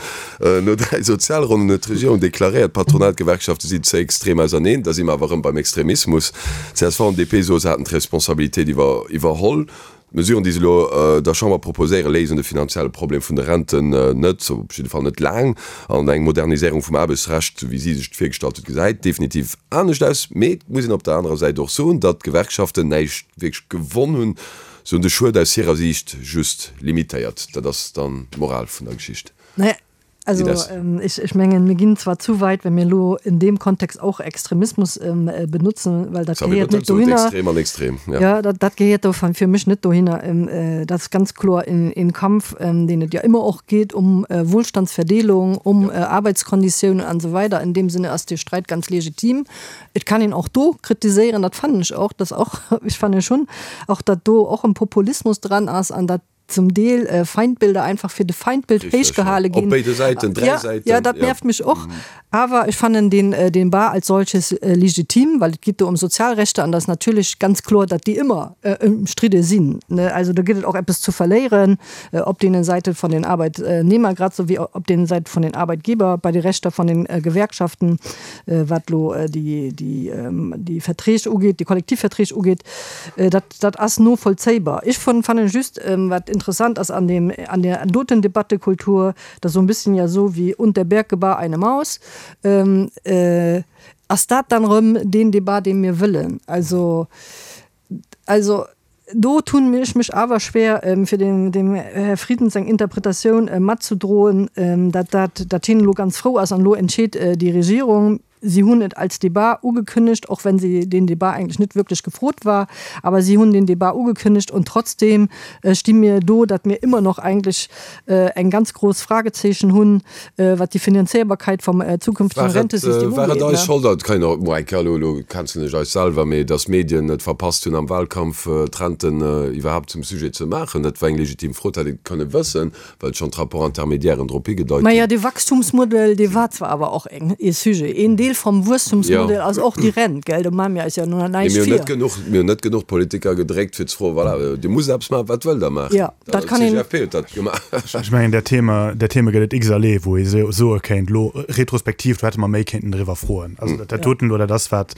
No 3 Sozialronnen huet d'Regierung deklaréiert, d'Patronat, d'Gewerkschafte sinn ze extrem auserneen. Da si mer awer erëm beim Extremismus. Csv an DP soe se hätten d'Responsabilitéit iwwerholl. D'Mesuren, déi se elo der Chamber proposéieren, léisen de finanzielle Problem vun de Renten net, op jidde Fall net laang. An eng Moderniséierung vum Aarbechtsrecht, esou wéi si sech et virgestallt huet, gesäit definitiv anescht aus. Mee et muss een op der anerer Säit och soen, datt d'Gewerkschaften näischt wierklech gewonn hunn. Se hunn de Schued aus hirer Siicht just limitéiert. Dat ass dann d'Moral vun der Geschicht. Naja, also ech, ech mengen, mir ginn zwar zu weit, wenn mir elo in deem Kontext och Extremismus benutzen, well dat gehéiert net dohinner. Extrem an extrem, ja. Ja, dat, dat gehéiert do fir mech net dohinner. Dat ass ganz kloer een Kampf, deen et jo ëmmer och geet um Wohlstandsverdeelung, um Arbeitskonditiounen an esou weider. In deem Sinne ass dee Streit ganz legitim. Et kann een och do kritiséieren, dat fannen ech och, dass och, ech fanne schonn och, datt do och en Populismus dran ass an datt zum Deel Feindbilder einfach fir de Feindbild héichgehale ginn. Op béide Säiten, dräi Säiten. Ja, dat nervt mech och. Awer ech fannen deen Debat als solches legitim, well et geet do ëm Sozialrechter an dat ass natierlech ganz kloer, datt déi ëmmer ëmstridde sinn. Also do gëtt et och eppes zu verléieren op deene Säite vun den Arbeitnehmer grad esou wéi op deene Säite vun den Arbeitgeber, bei de Rechter vun den Gewerkschaften, wat elo déi Verträg ugeet, déi Kollektivverträg ugeet. Dat Dat ass novollzéibar. Ech fannen just, wat interessant ass an deem, an där doten Debattekultur, dat ass esou e bësschen ja esou wéi und der Berg gebar eine Maus, ass dat dann erëm deen Debat, dee mir wëllen? Also, also do tun ech mech awer schwer, fir dem, dem Här Frieden seng Interpretatioun matzedroen, dat dat, dat hien elo ganz frou ass an elo entscheet déi Regierung. Si hunn et als Debat ugekënnegt, och wenn se deen Debat eigentlech net wierklech gefrot war, awer si hunn deen Debat ugekënnegt und trotzdem sti mir do, datt mir ëmmer noch eigentlech eng ganz gross Fragezeechen hunn, wat déi Finanzéierbarkeit vom zukünftigen Rentesystem ugeet. War et eis Schold, dat kann een och mol eng Kéier, elo elo cancelen ech eis selwer, mee datt d'Medien et verpasst hunn am Wahlkampf d'Renten iwwerhaapt zum Sujet ze maachen? Dat war eng legitim Fro, dat hätt ee kënne wëssen. Well schonn d'Rapports-intermédiairen drop higedeit hunn. Maja, dee Wachstumsmodell, dee war zwar awer och eng, ee Sujet. Een Deel vom Wuesstumsmodell ass och déi Rent, gell? Do maache mir eis jo no näischt vir. Mir hunn net genuch Politiker gedréckt, fir ze froen, Voilà, Dir musst eppes maachen, wat wëllt Der maachen? Jo, dat kann een. D'CGFP huet dat gemaach. Ech mengen, där Theme, där Theme gëtt et x-erlee, wou ee soe kéint, elo retrospektiv, do hätte mer méi kéinten driwwer froen. Also dat doten elo, dat ass, wat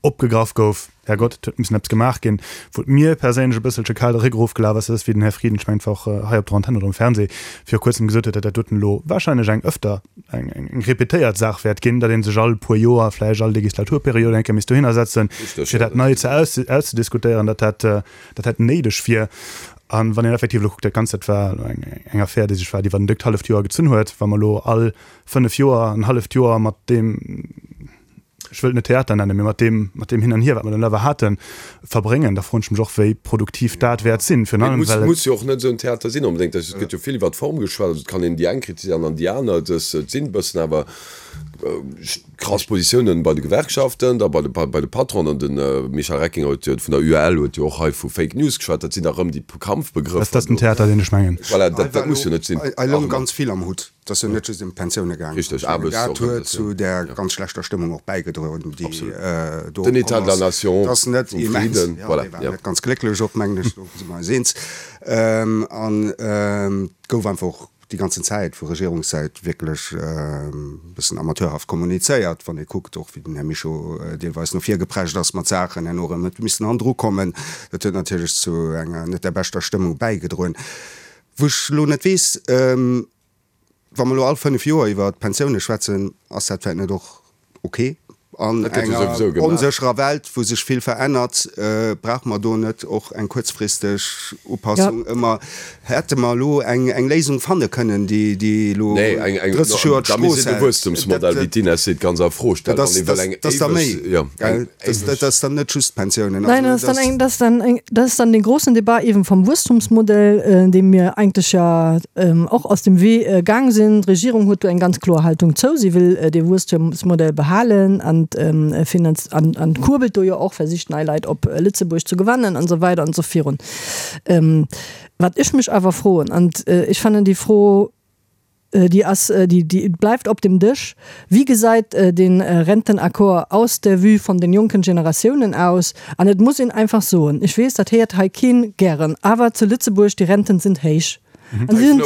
opgegraff gouf. Herrgott, et huet missen eppes gemaach ginn. Wou et mir perséinlech e bësselche kal de Réck erofgelaf ass, dat ass, wéi den Här Frieden, ech mengen, et war och hei op der Antenn oder um Fernseh, viru kuerzem gesot huet, datt dat doten elo wahrscheinlech eng ëfter, eng, eng répétéiert Saach wäert ginn, datt ee sech all puer Joer, vläicht all Legislaturperiod eng Kéier misst dohinner setzen, fir dat nei ze aus, auszediskutéieren, datt dat, dat dat néideg wier. A wann een effektiv elo kuckt, dat Ganzt, dat war elo eng, eng Affär, déi sech wat iwwer en déckt halleft Joer gezunn huet, wa mer elo all fënnf Joer en halleft Joer mat deem, ech wëll et net Theater nennen, mee mat deem, mat deem Hin an Hier, wat mer dann awer haten, verbréngen, da froen ech mech och, wéi produktiv dat wäert sinn. Virun allem, well et. Muss jo och net esou en Theater sinn onbedéngt. Et gëtt jo vill iwwer d'Form geschwat, also et kann een déi eng kritiséieren an déi aner. Et sinn e bëssen awer krass Positiounen bei de Gewerkschaften, da bei de, bei de Patronen. An de Michel Reckinger huet jo vun der UEL huet jo och hei vu Fake News geschwat. Dat sinn da rëm déi Kampfbegrëffer. Dat ass den Theater, deen ech mengen. Voilà, dat, dat muss jo net sinn. Hei loung ganz vill am Hutt. Et ass jo net just ëm d'Pensioune gaangen. Richteg, Dat huet zu där ganz schlechter Stëmmung och bäigedroen, déi do Den État de la Nation vum Frieden, voilà. Dee war net ganz glécklech och, mengen ech, do si mer eis eens. An et gouf einfach och déi ganzen Zäit vu Regierungssäit wierklech e bëssen amateurhaft kommunizéiert, wann ee kuckt och, wéi den Här Mischo deelweis no vir geprescht ass mat Saachen, herno erëm huet missen hannendru kommen. Dat huet natierlech zu enger net där beschter Stëmmung bäigedroen. Wou ech elo net weess, Wa mer elo all 5 Joer iwwer d'Pensioune schwätzen, ass dat vläicht net och ok? An enger onsécherer Welt, wou sech vill verännert, brauche mer do net och eng kuerzfristeg Upassung ëmmer? Hätte mer elo eng Léisung fanne kënnen, déi elo 30 Joer d'Strooss hält? De Wuesstemsmodell, wéi d'Ines seet, ganz a Fro stellt. Dat ass da méi, gell? Dat ass dann net just d'Pensiounen. Nein, dat ass dann eng, dat ass dann eng, dat ass dann dee grossen Debat eben vom Wuesstumsmodell, deem mir eigentlech ja och aus dem Wee gaang sinn. D'Regierung huet do eng ganz kloer Haltung zou. Si wëll dee Wuesstumsmodell behalen an finanz an, an kurbelt do jo och, versicht nei Leit op Lëtzebuerg ze gewannen an esou weider an esou virun. Wat ech mech awer froen, an ech fannen déi Fro. Déi ass, déi, déi bleift op dem Dësch. Wéi gesäit den Rentenaccord aus der Vue von den jonken Generatiounen aus? An et muss een einfach soen, ech weess, dat héiert hei keen gären, awer zu Lëtzebuerg, die Renten sind héich. An si sind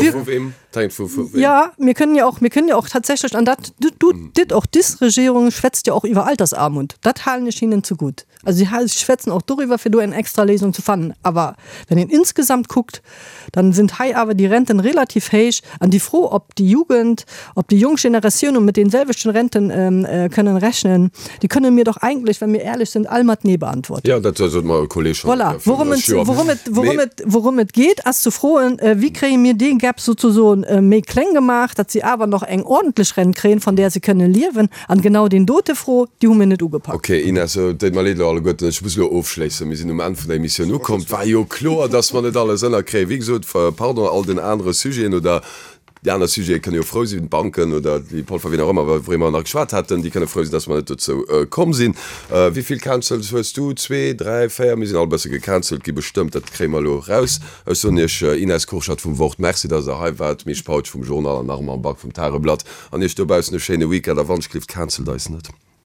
Jo, mir kënnen jo och, mir kënnen jo och tatsächlech, an dat dit och dis Regierung schwätzt jo och iwwer Altersarmut, dat halen ech hinnen zegutt. Also sie schwätzen och doriwwer, fir do eng extra Léisung ze fannen. Awer wenn een insgesamt kuckt, dann sind hei awer déi Renten relativ héich. An déi Fro, ob déi Jugend, ob déi jonk Generatiounen mit denselwechten Renten kënnen rechnen, déi kënnen mir doch eigentlich, wenn mir ehrlich sind, all mat Nee beantworten. Jo, dat sot mer e Kolleg schonn Voilà. Worum et, worum et, worum et, worum et geet, ass ze froen, Wéi kréie mir dee Gap sozusoen méi kleng gemaach, datt si awer nach eng ordentlech Rent kréien, von där se kënnen liewen? An genau deen dote Fro, déi hu mir net ugepackt. Ok, Ines, et deet mer leed elo alleguerten, ech muss elo ofschléissen. Mir sinn um Enn vun der Emissioun ukomm. Et war jo kloer, dass mer net alles ënnerkréien. Wéi gesot, pardon, all den anere Sujeten oder déi aner Sujete kënne jo frou sinn, d'Banken oder déi Polfer, wien och ëmmer, wouriwwer mer nach geschwat haten, déi kënne frou sinn, dass mer net dozou komm sinn. Wéi vill Cancels hues du? Zwee, dräi, véier? Mir sinn all e bësse gecancelt gi bestëmmt, dat kréie mer elo raus. Ech soen Iech, Ines Kurschat vum Wort, Merci, dass Der hei waart, Misch Pautsch vum Journal an Armand Back vum Tageblatt. An iech dobaussen e schéine Weekend a wann ech gelift, cancelt eis net.